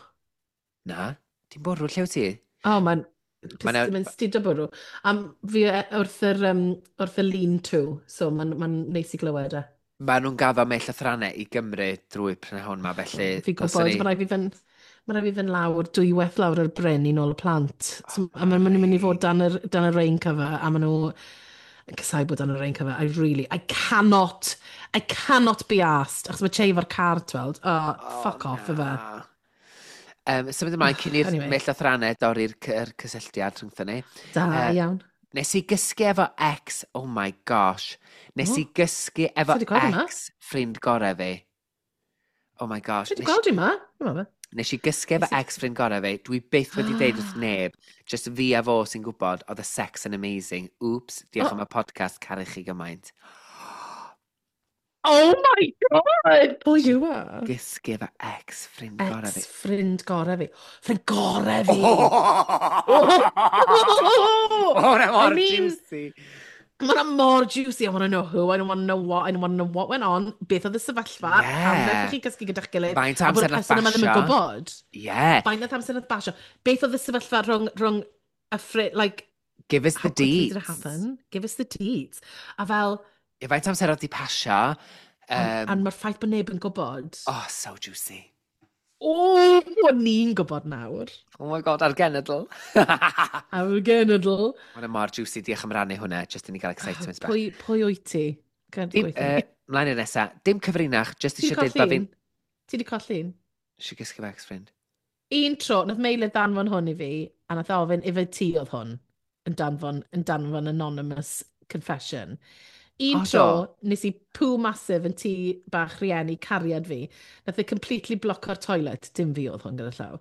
Na, ti'n bwrw, lle wyt ti? O, mae'n mae'n studio bwrw. Am fi wrth yr lean-to, so mae'n ma neis i glywed e. Maen nhw'n gaddo mewn llythrannau i Gymru drwy prynhawn ma, felly Fi'n dylswn gwybod, ni. Mae rhaid fi fynd lawr, dwywaith lawr yr bryn i nôl y plant. So, a maen nhw'n mynd i fod dan y rain cover, a maen nhw yn casáu bod dan y rain cover. I really, I cannot be asked. Achos mae Che efo'r car, tweld. Oh, fuck off, efe. Na. Symud ymlaen cyn i'r Anyway. anyway. llythrannau dorri'r yr cysylltiad rhyngthyn ni. Da iawn. Nes i gysgu efo ex, oh my gosh. Nes i gysgu efo Ti 'di gweld hwnna? ex ffrind gorau fi. Oh my gosh. Ti wedi gweld i ma? Dwi'n meddwl. Nes i gysgu efo ex ffrind gorau fi. Dwi byth wedi deud wrth neb. Just fi a fo sy'n gwybod, oedd y sex yn amazing. Oops, diolch am y podcast, caru chi gymaint. Oh my God! Pwy yw e? Gysgu efo ex ffrind gorau fi. Ex ffrind gorau fi. Ffrind gorau fi! Oh, hwnna mor I mean, juicy. Mae hwnna mor juicy. I want to know who, I don't want to know what, I don't want to know what went on. Beth oedd y sefyllfa? Pam wnaethoch chi gysgu gyda'ch gilydd? Faint A bod amser y nath person yma ddim yn basio? gwybod. Yeah. Faint nath amser nath basio? Beth oedd y sefyllfa rhwng y ffrind, like, Give us the how quickly did it deets. happen? Give us the deets. A fel, Ie, faint amser oedd di pasio? a mae'r ffaith bod neb yn gwybod. Oh, so juicy. O, ni'n gwybod nawr. Oh my God, ar genedl. Ar genedl. Mae'n mor juicy, diolch am rannu hwnna, just i ni gael excitement bach. Pwy wyt ti? Gad Dim, gweithio. Mlaen i'r nesa, dim cyfrinach, just Ti 'di eisiau dweud colli bod fi'n un? Ti 'di colli un? Eisiau gysgu efo ex-friend. Un tro, nath Meilir danfon hwn i fi, a nath ofyn ife ti oedd hwn, yn danfon anonymous confession. Un O, tro, do? nes i poo massive yn tŷ bach rieni cariad fi. Nath e completely bloco'r toilet, dim fi oedd hwn gyda llaw.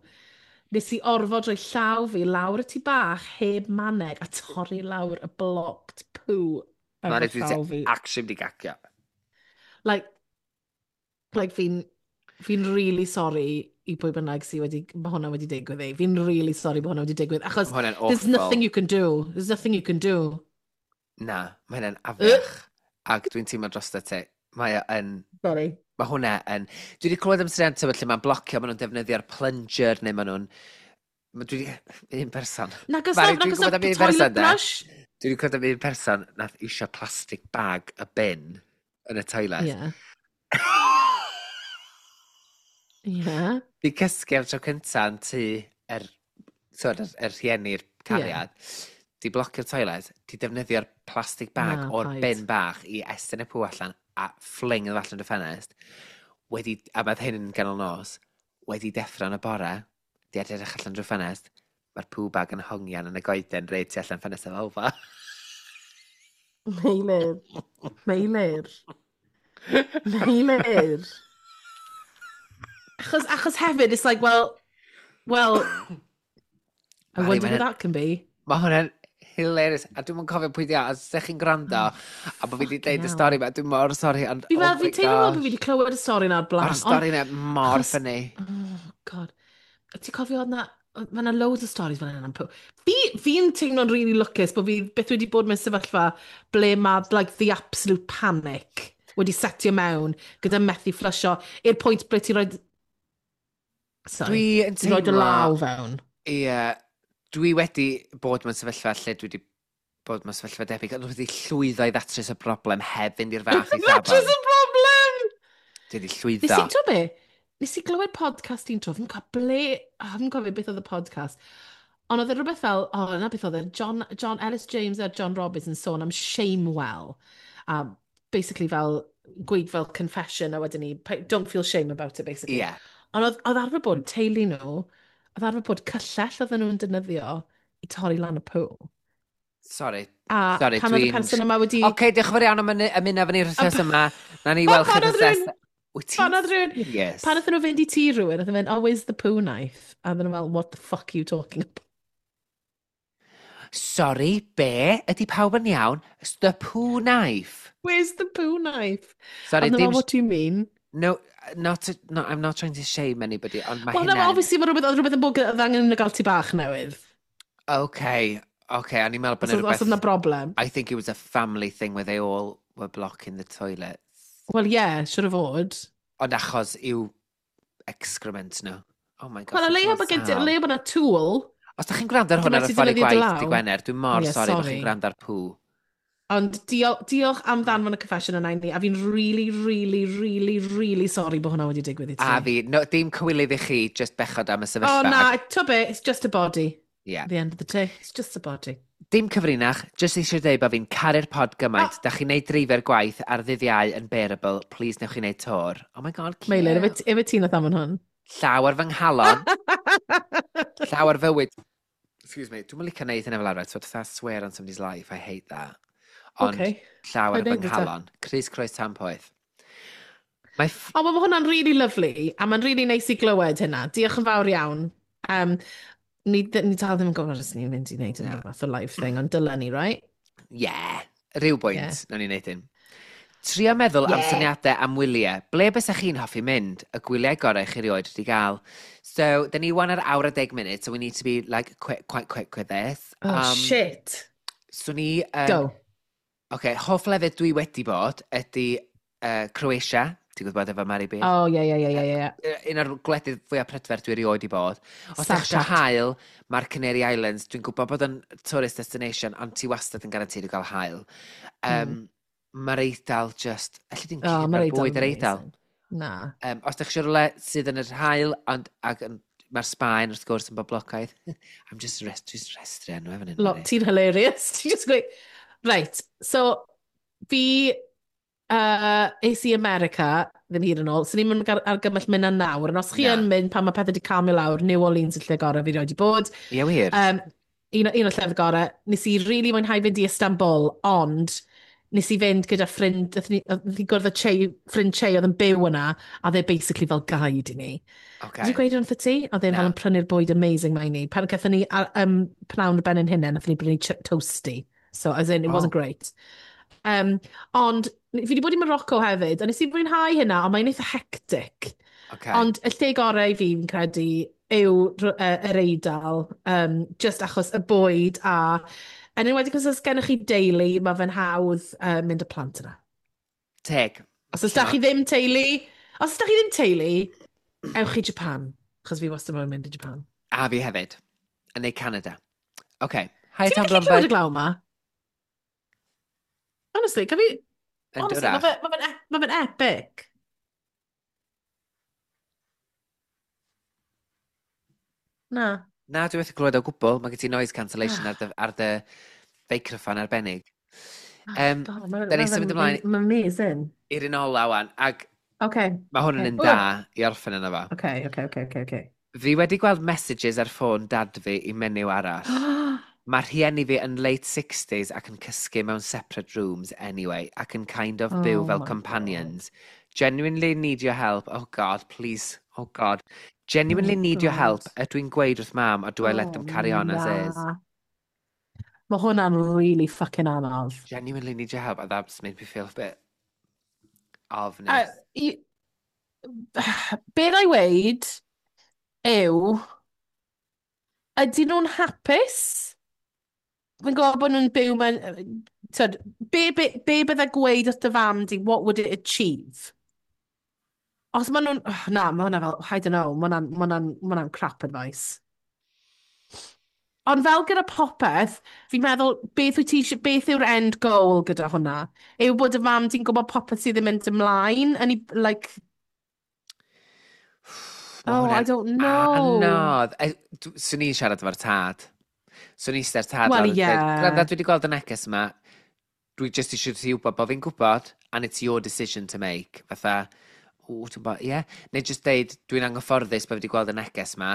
Nes i orfod rhoi llaw fi lawr y tŷ bach heb maneg a torri lawr y blocked poo efo Mae'n rhaid llaw fi. actually di gacio. Like fi'n really sorry i pwy bynnag sydd wedi, mae hwnna wedi digwydd i. Fi'n really sorry bod hwnna wedi digwydd, achos Mae hwnna'n there's awful. nothing you can do. There's nothing you can do. Na, mae hwnna'n afiach. Ac dwi'n teimlo drosto ti. Mae o yn Sorry. Mae hwnna yn. Dwi wedi clywed am syniad tyfod lle mae'n blocio, maen nhw'n defnyddio'r plunger neu maen nhw'n. Dwi wedi. Un person. Nag oes Mari, na, dwi'n nag oes gwybod na am un person, toilet de. brush? Dwi wedi clywed am un person nath isio plastic bag y bin yn y toilet. Di cysgu am tro cynta yn tŷ yr, twyd, yr rhieni'r cariad. Di blocio'r toilet, di defnyddio'r plastic bag Na, o'r paid. bin bach i estyn y pŵ allan a fling iddo allan y ffenest. Wedi, a mae hyn yn ganol nos, wedi deffro yn y bore, di edrych allan drwy ffenest, mae'r poo bag yn hongian yn y goeden reit tu allan ffenest y ddalfa. Meilir. Meilir. Meilir. Achos hefyd, it's like, well, I Mari, wonder mae'n who that can be. Mae hwnna'n hilarious. A dwi'n cofio pwy di o, os ydych chi'n gwrando, a bod fi wedi deud y hell. stori ma, dwi'n mor sori, ond Fi oh fel, my fi'n teimlo fel bod gosh. fi wedi clywed y stori na'r blaen. Mae'r stori yna mor funny. Oh, God. Ti'n cofio oedd na, mae yna loads o stories fel yna am poo. Fi'n teimlo'n really lwcus bod fi byth wedi bod mewn sefyllfa ble mae like, the absolute panic wedi setio mewn gyda methu fflysio i'r pwynt ble ti'n rhoi. Sorry. Dwi yn Ti'n rhoi dy teimlo law fewn. Ie, dwi wedi bod mewn sefyllfa lle dwi wedi bod mewn sefyllfa debyg, ond wedi llwyddo i ddatrys y broblem heb fynd i'r fath Datrys eithafol. y broblem! Dwi wedi Nes llwyddo. i, ti'n be? Nes i glywed podcast un tro, fi'n cofio ble, oh, fi'n cofio beth oedd y podcast. Ond oedd e rhywbeth fel, o, oh, na beth oedd e, John Ellis James a John Roberts yn sôn am Shamewell. A basically fel, gweud fel confession a wedyn ni, don't feel shame about it, basically. Ond oedd arfer bod teulu nhw, oedd arfer bod cyllell oedden nhw'n defnyddio i torri lan y poo. Sorry. A Sorry, pan oedd y dwi'n person yma wedi Oce, diolch yn fawr iawn am ymuno efo ni'r wythnos yma. Na ni weld chi Pan oedd wythnos rhywun nesa. Wyt ti'n Pan oedd rhywun serious? Pan oedden nhw fynd i tŷ rhywun, oedden nhw'n mynd, "Oh, where's the poo knife?" A oedden nhw fel, "What the fuck are you talking about?" Sorry, be? Ydy pawb yn iawn? It's the poo knife. Where's the poo knife? Sorry, A oedden nhw dim fel, "What do you mean?" No, not to, no, I'm not trying to shame anybody, ond mae Wel, na, hynna'n obviously, mae rhywbeth, oedd rhywbeth yn bod oedd angen nhw gael tŷ bach newydd. Okay, o'n i'n meddwl bod Os yna oedd os oedd 'na rhywbeth broblem. I think it was a family thing where they all were blocking the toilets. Wel, ie, yeah, siwr o fod. Ond achos i'w excrement nhw. Oh my gosh, Wel, o dwi'n leia teimlo'n bod gen ti, o sâl. leia bod 'na tool. Os da chi'n gwrando ar Dyma hwn ar y ti ffordd i defnyddio dy gwaith law. di Gwener, dwi'n mor Ie, sori bod sorry. chi'n gwrando ar poo. Ond diolch am ddanfon y confession yna i ni, a fi'n really, really, really, really sorry bod hwnna wedi digwydd i ti. A fi, no, dim cywilydd i chi, just bechod am y sefyllfa. Oh na, to be, it's just a body. Yeah. At the end of the day, it's just a body. Dim cyfrinach, just eisiau dweud bod fi'n caru'r pod gymaint. Oh. Da chi'n neud dreifio'r gwaith ar ddydd Iau yn bearable. Please newch chi neud tor. Oh my God, cute. Meilir, efe ti nath am hwn? Llaw ar fy nghalon. Llaw ar fywyd. Excuse me, dwi'n licio neud hynna fel arfer. So, I swear on somebody's life, I hate that. Ond okay. Llaw ar fy nghalon. Crys croes tan poeth. Mae oh, mae hwnna'n really lovely, a mae'n really neis i glywed hynna. Diolch yn fawr iawn. Ni dal ddim yn gwybod os ni'n mynd i wneud unrhyw fath o live thing, ond dylen ni, right? Yeah, rhyw bwynt, yeah. Nawn ni wneud hyn. Trio meddwl am syniadau am wyliau. Ble bysach chi'n hoffi mynd? Y gwyliau gorau chi erioed wedi gael. So, dyn ni wan ar awr a 10 munud, so we need to be like quick, quite quick with this. Oh, shit. So ni... Go. Okay, hoff lefydd dwi wedi bod ydy Croatia. Ti'n gwybod efo Mary B? Oh, ie, ie, ie, ie, ie. Un o'r gwledydd fwyaf prydferth dwi erioed i bod. Os ydych eisiau haul, mae'r Canary Islands, dwi'n gwybod bod yn tourist destination, ond ti wastad yn garantid i gael haul. Mae'r Eidal just... Elli di'n oh, cyrraedd bwyd yr Eidal. Na. Os ydych eisiau rhywle sydd yn yr haul, ond ac mae'r Sbaen wrth gwrs yn boblogaidd. I'm just, just restru enw efo hyn. Ti'n hilarious. Ti'n just gweud... Right, so fi es i America ddim hir yn ôl, so ni'n mynd argymell mynd yn nawr, ond os chi yn mynd pan mae pethau wedi calmio lawr, New Orleans y lle gorau fi rioed wedi bod. Ie, wir. Un o'r llefydd gorau. Nes i really mwynhau fynd i Istanbul, ond nes i fynd gyda ffrind, nath ni gwrdd â Che, ffrind Che oedd yn byw yna, a dde basically fel guide i ni. Okay. Did you gweud wrth ti? Oedd e'n fel yn prynu'r bwyd amazing mae ni. Pan gaethon ni pnawn ar ben ein hunain, nathon ni brynu toasty. So, as in, it wasn't great. Ond, fi wedi bod i Morocco hefyd, a nes i fwynhau hynna, ond mae'n eitha hectic. Okay. Ond y lle gorau i fi, fi'n credu, yw yr Eidal, just achos y bwyd a... Yn enwedig os gennych chi deulu, mae fe'n hawdd mynd y plant yna. Teg. Os oes da chi ddim teulu, os oes da chi ddim teulu, ewch i Japan, achos fi wastad moyn mynd i Japan. A fi hefyd, yn neu Canada. Okay. Hi, Ti'n Tom gallu clywed Blomberg. y glaw yma? Honestly, can fi... Yn Honestly, dwrach. ma fe'n epic. Na. Na, dwi wedi glywed o gwbl. Mae gen ti noise cancellation ar dy feicroffon arbennig. God, Da ni symud ymlaen. Mae'n amazing. I'r un ola wan, ac Okay. mae hwn yn un da i orffen yna fo. Okay. Fi wedi gweld messages ar ffôn dad fi i menyw arall. Mae rhieni fi yn late 60s ac yn cysgu mewn separate rooms anyway, ac yn kind of byw Oh fel my companions. Genuinely need your help. Oh God, please. Oh God. Genuinely Oh need your help. God. Ydw i'n gweud wrth mam, or do I let them carry on as is? Mae hwnna'n really fucking anodd. Genuinely need your help, and that's made me feel a bit ofnus. Be na i weud yw, ydyn nhw'n hapus? Fi'n gwybod bod nhw'n byw mewn... Tyd, be bydde gweud wrth dy fam di, what would it achieve? Os maen nhw'n... Oh, na, mae hwnna fel, I don't know, mae hwnna'n crap advice. Ond fel gyda popeth, fi'n meddwl, beth yw'r end goal gyda hwnna? Yw bod y fam di'n gwybod popeth sydd ddim mynd ymlaen? And he, like... Oh, I don't know. Anodd. Swn i'n siarad efo'r tad. Swn i'n eistedd tad. Well, yeah. Gwranda, dwi wedi gweld y neges yma. Dwi just eisiau ti wybod bod fi'n gwybod, and it's your decision to make. Fatha, o, ti'n bod, ie. Yeah. Neu just deud, dwi'n anghyfforddus bod fi wedi gweld y neges yma.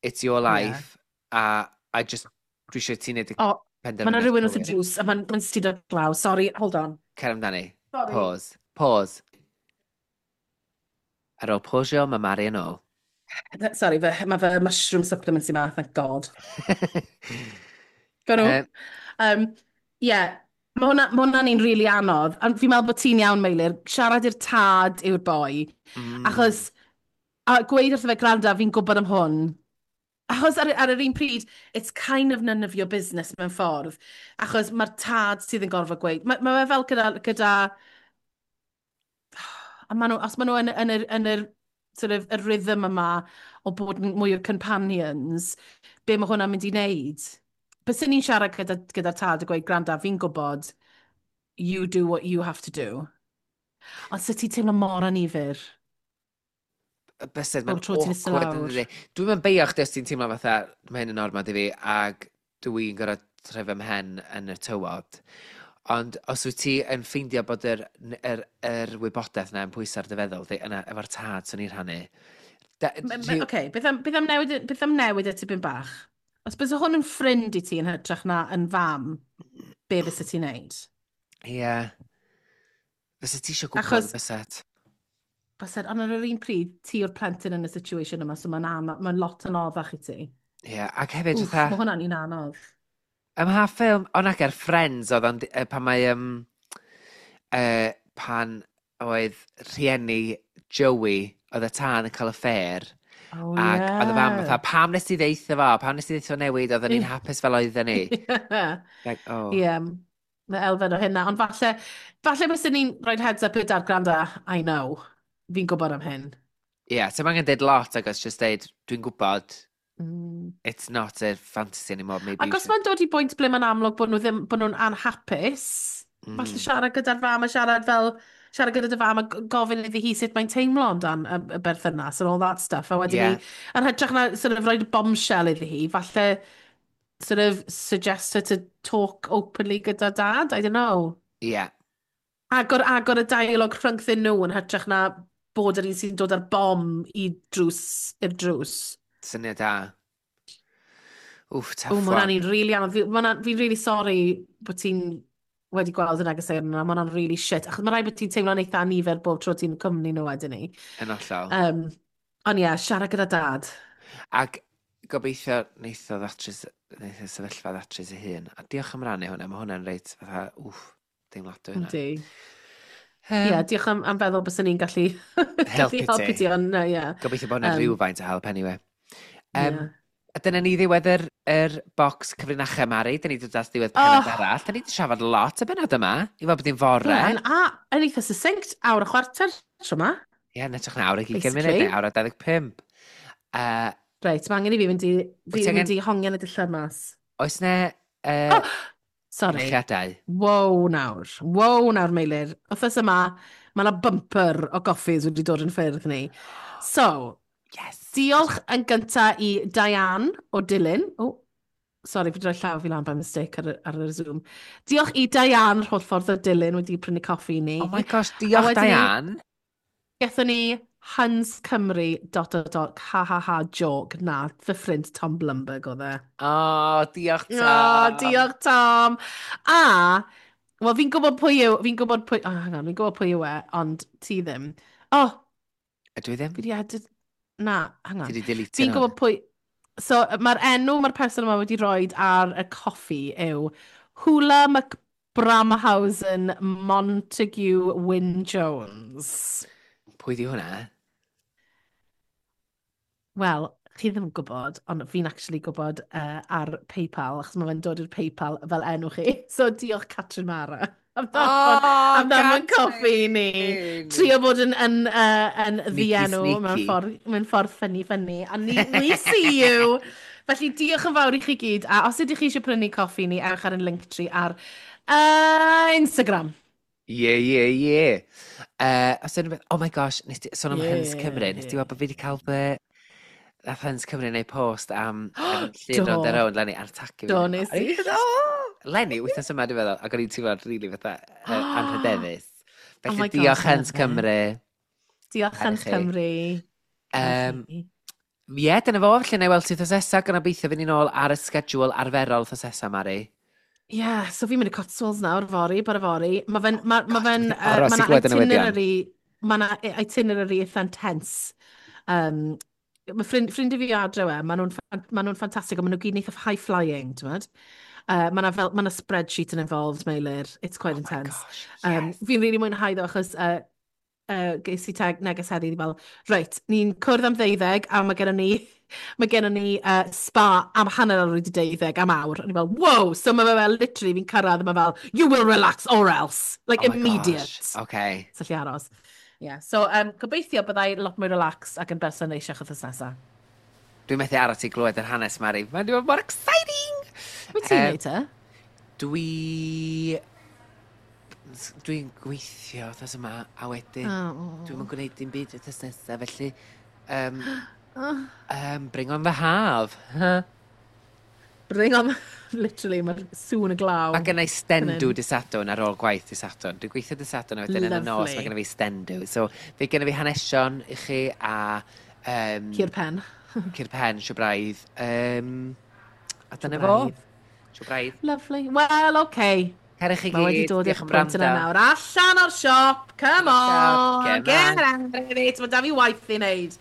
It's your life. Yeah. A I just, dwi eisiau ti wneud y penderfyniad. Mae yna rhywun wrth y drws, a mae'n stido glaw. Sorry, hold on. Cer amdani. Sorry. Pause. Pause. Ar ôl pausio, mae Mari yn ôl. Sorry, mae fy mushroom supplements i ma, thank God. Go nhw. Yeah, mae hwnna'n un really anodd. A fi'n meddwl bod ti'n iawn, Meilir. Siarad i'r tad yw'r boi. Achos, a gweud wrtho fe, gwranda, fi'n gwybod am hwn. Achos ar yr un pryd, it's kind of none of your business mewn ffordd. Achos mae'r tad sydd yn gorfod gweud. Mae fe fel gyda a ma nhw, os maen nhw yn yr sort of, y rhythm yma o bod yn mwy o companions, be mae hwnna'n mynd i wneud? Byswn ni'n siarad gyda'r tad a gweud, gwranda, fi'n gwybod, You do what you have to do. Ond sut ti'n teimlo mor anifyr? Bysedd, mae'n awkward yn dydi. Dwi'n mynd beio chdi os ti'n teimlo fatha, mae hyn yn ormod i fi, ac dwi'n gorfod trefio mhen yn y tywod. Ond os wyt ti yn ffeindio bod yr wybodaeth yna yn pwyso ar dy feddwl, di, yna efo'r tad swn i'n rhannu. Oce, okay, beth am newid y tipyn bach? Os bys hwn yn ffrind i ti yn hytrach na yn fam, be fysa ti'n neud? Ie. Yeah. Fysa ti eisiau gwybod. Achos, byset? Byset, ond ar yr un pryd, ti yw'r plentyn yn y situation yma, so mae'n ma lot yn anoddach i ti. Ie, yeah, ac hefyd. Wff, mae hwnna'n un anodd. Ym mha ffilm, o nag ar Friends oedd o'n, pan mae, pan oedd rhieni Joey, oedd y tân yn cael affair, ac oedd y fam fatha, "Pam nes ti ddeutha fo? Pam nes ti ddeutha fo newid? Oedden ni'n hapus fel oedden ni." Like, oh. Ie, yeah, mae elfen o hynna. Ond falle byswn ni'n rhoi heads up i'r dad, "Gwranda, I know. Fi'n gwybod am hyn." Ie, yeah, so angen deud lot ac os just deud, "Dwi'n gwybod, it's not a fantasy anymore, maybe." Ac os mae'n dod i bwynt ble mae'n amlwg bod nhw ddim, bod nhw'n anhapus, falle siarad gyda'r fam a siarad fel, siarad gyda dy fam a gofyn iddi hi sut mae'n teimlo amdan y berthynas and all that stuff. A wedyn ni, yn hytrach na sort of rhoi bombshell iddi hi, falle sort of suggest her to talk openly gyda dad, I don't know. Agor y dialog rhyngddyn nhw yn hytrach na bod yr un sy'n dod ar bom i drws, i'r drws. Syniad da. Wff, tough O, mae hwnna'n un really anodd. Fi'n really sorry bod ti'n wedi gweld y negeseuon yna. Mae hwnna'n really shit. Achos mae rhaid bod ti'n teimlo'n eitha anifyr bob tro ti'n cwmni nhw wedyn ni. Yn hollol. Ond ie, yeah, siarad gyda dad. Ac gobeithio neith y sefyllfa ddatrys ei hun. A diolch am rannu hwnna, mae hwnna'n reit fatha, wff, deimladwy hwnna. Yndi. Ie, yeah, diolch am feddwl bys ni'n gallu helpu ti. Helpu ti, ond ie. Gobeithio bod hwnna'n rhywfaint o help anyway. A dyna ni ddiwedd yr bocs cyfrinachau, Mari. Dyna ni dod at ddiwedd penod arall. Dyna ni wedi siarad lot y benod yma, i fod bod hi'n fore. Yeah, a yn eitha succinct, awr a chwarter tro yma. Ie, yn edrych na awr ag 20 munud neu awr a 25. Reit, mae angen i fi fynd i, fi mynd i hongian y dillad mas. Oes ne Oh, sorry. Eithriadau? Wow nawr. Wow nawr, Meilir. Wythnos yma, mae yna bumper o goffis wedi dod yn ffyrdd ni. So, diolch yn gynta i Diane o Dulyn. Oh, sorry, fi wedi rhoi llaw fi lan by mistake ar y Zoom. Diolch i Diane, holl ffordd o Dulyn, wedi prynu coffi i ni. Oh my gosh, diolch Diane. Gathon ni Hans Cymru dot dot dot ha ha ha joke. Na, fy ffrind Tom Blumberg oedd e. Oh, diolch Tom. Oh, diolch Tom. A, wel fi'n gwybod pwy yw, fi'n gwybod pwy, oh, hang on, fi'n gwybod pwy yw e, ond ti ddim. Oh. Ydw i ddim? Fi di edit, na, hang on. Ti di delete. Fi'n gwybod pwy, so mae'r enw mae'r person yma wedi rhoi ar y coffi yw Hula McBramhausen Montague Wyn Jones. Pwy di hwnna? Wel, chi ddim yn gwybod, ond fi'n actually gwybod ar PayPal, achos mae fe'n dod i'r PayPal fel enw chi. So diolch Catrin Mara am ddanfon coffi i ni. Trio bod yn ddienw mewn ffordd ffynnu ffynnu. A ni, we see you! Felly diolch yn fawr i chi gyd. A os ydych chi eisiau prynu coffi ni, ewch ar yn Linktree ar Instagram. Ie. Os yna beth, oh my gosh, nes ti, sôn am Huns Cymru, nes ti weld bod fi wedi cael fy... Nath Huns Cymru wneud post am llun Rownd a Rownd, Lenny, a'r tagio fi. Do, nes i. Lenny, wythnos yma, dwi'n meddwl, ac o'n i'n teimlo'n rili fatha anrhydeddus. Oh Felly my gosh, diolch Huns love it. Cymru. Diolch Caru Huns chi. Cymru. Ie, dyna fo, felly na i weld ti wythnos nesa, gan obeithio fynd ni'n ôl ar y schedule arferol wythnos nesa, Mari. Ie, yeah, so fi'n mynd i Cotswolds nawr, fory, bore fory. Mae fe'n, ma fe'n, Dwi'n aros ma i 'na glywed y newyddion. itinerary, ma 'na itinerary eitha intense. Mae ffrind i fi adre we, maen nhw'n ma nhw ffantastig, ond maen nhw gyd yn eitha high flying, ti'n gwbod? Mae 'na fel, ma 'na spreadsheet yn involved, Meilir. It's quite Oh my intense. gosh, yes. Fi'n really mwynhau ddo, achos ges i tag neges heddi fel, "Reit, ni'n cwrdd am 12 a mae gennym ni spa am 12:30 am awr." A ni fel, "Wow!" So mae fe fel, literally, fi'n cyrraedd a mae fel, "You will relax or else." Like, Oh my immediate. gosh, okay. So lle aros. Yeah. So, gobeithio byddai lot mwy relaxed ac yn berson neisiach wythnos nesaf. Dwi'n methu aros i glywed yr hanes, Mari. Mae'n dod mor exciting! Wyt ti'n neud te? Dwi... Dwi'n gweithio wythnos yma, a wedyn dwi'm yn gwneud dim byd wythnos nesaf, felly bring on the haf. Bring on, literally, mae'r sŵn y glaw. Mae gen i stendw dydd Sadwrn ar ôl gwaith dydd Sadwrn. Dwi'n gweithio dydd Sadwrn a wedyn yn y nos mae gen i fi stendw. So, fe gen i fi hanesion i chi a Cur pen. Cur pen, siwbraidd. A dyna fo. Siwbraidd. Lovely. Well, okay. Cerwch chi Mae wedi gyd. Dod i'r Diolch am pwynt yna wrando. nawr. Allan o'r siop. Come on. Get Get out of it. Mae da fi waith i wneud.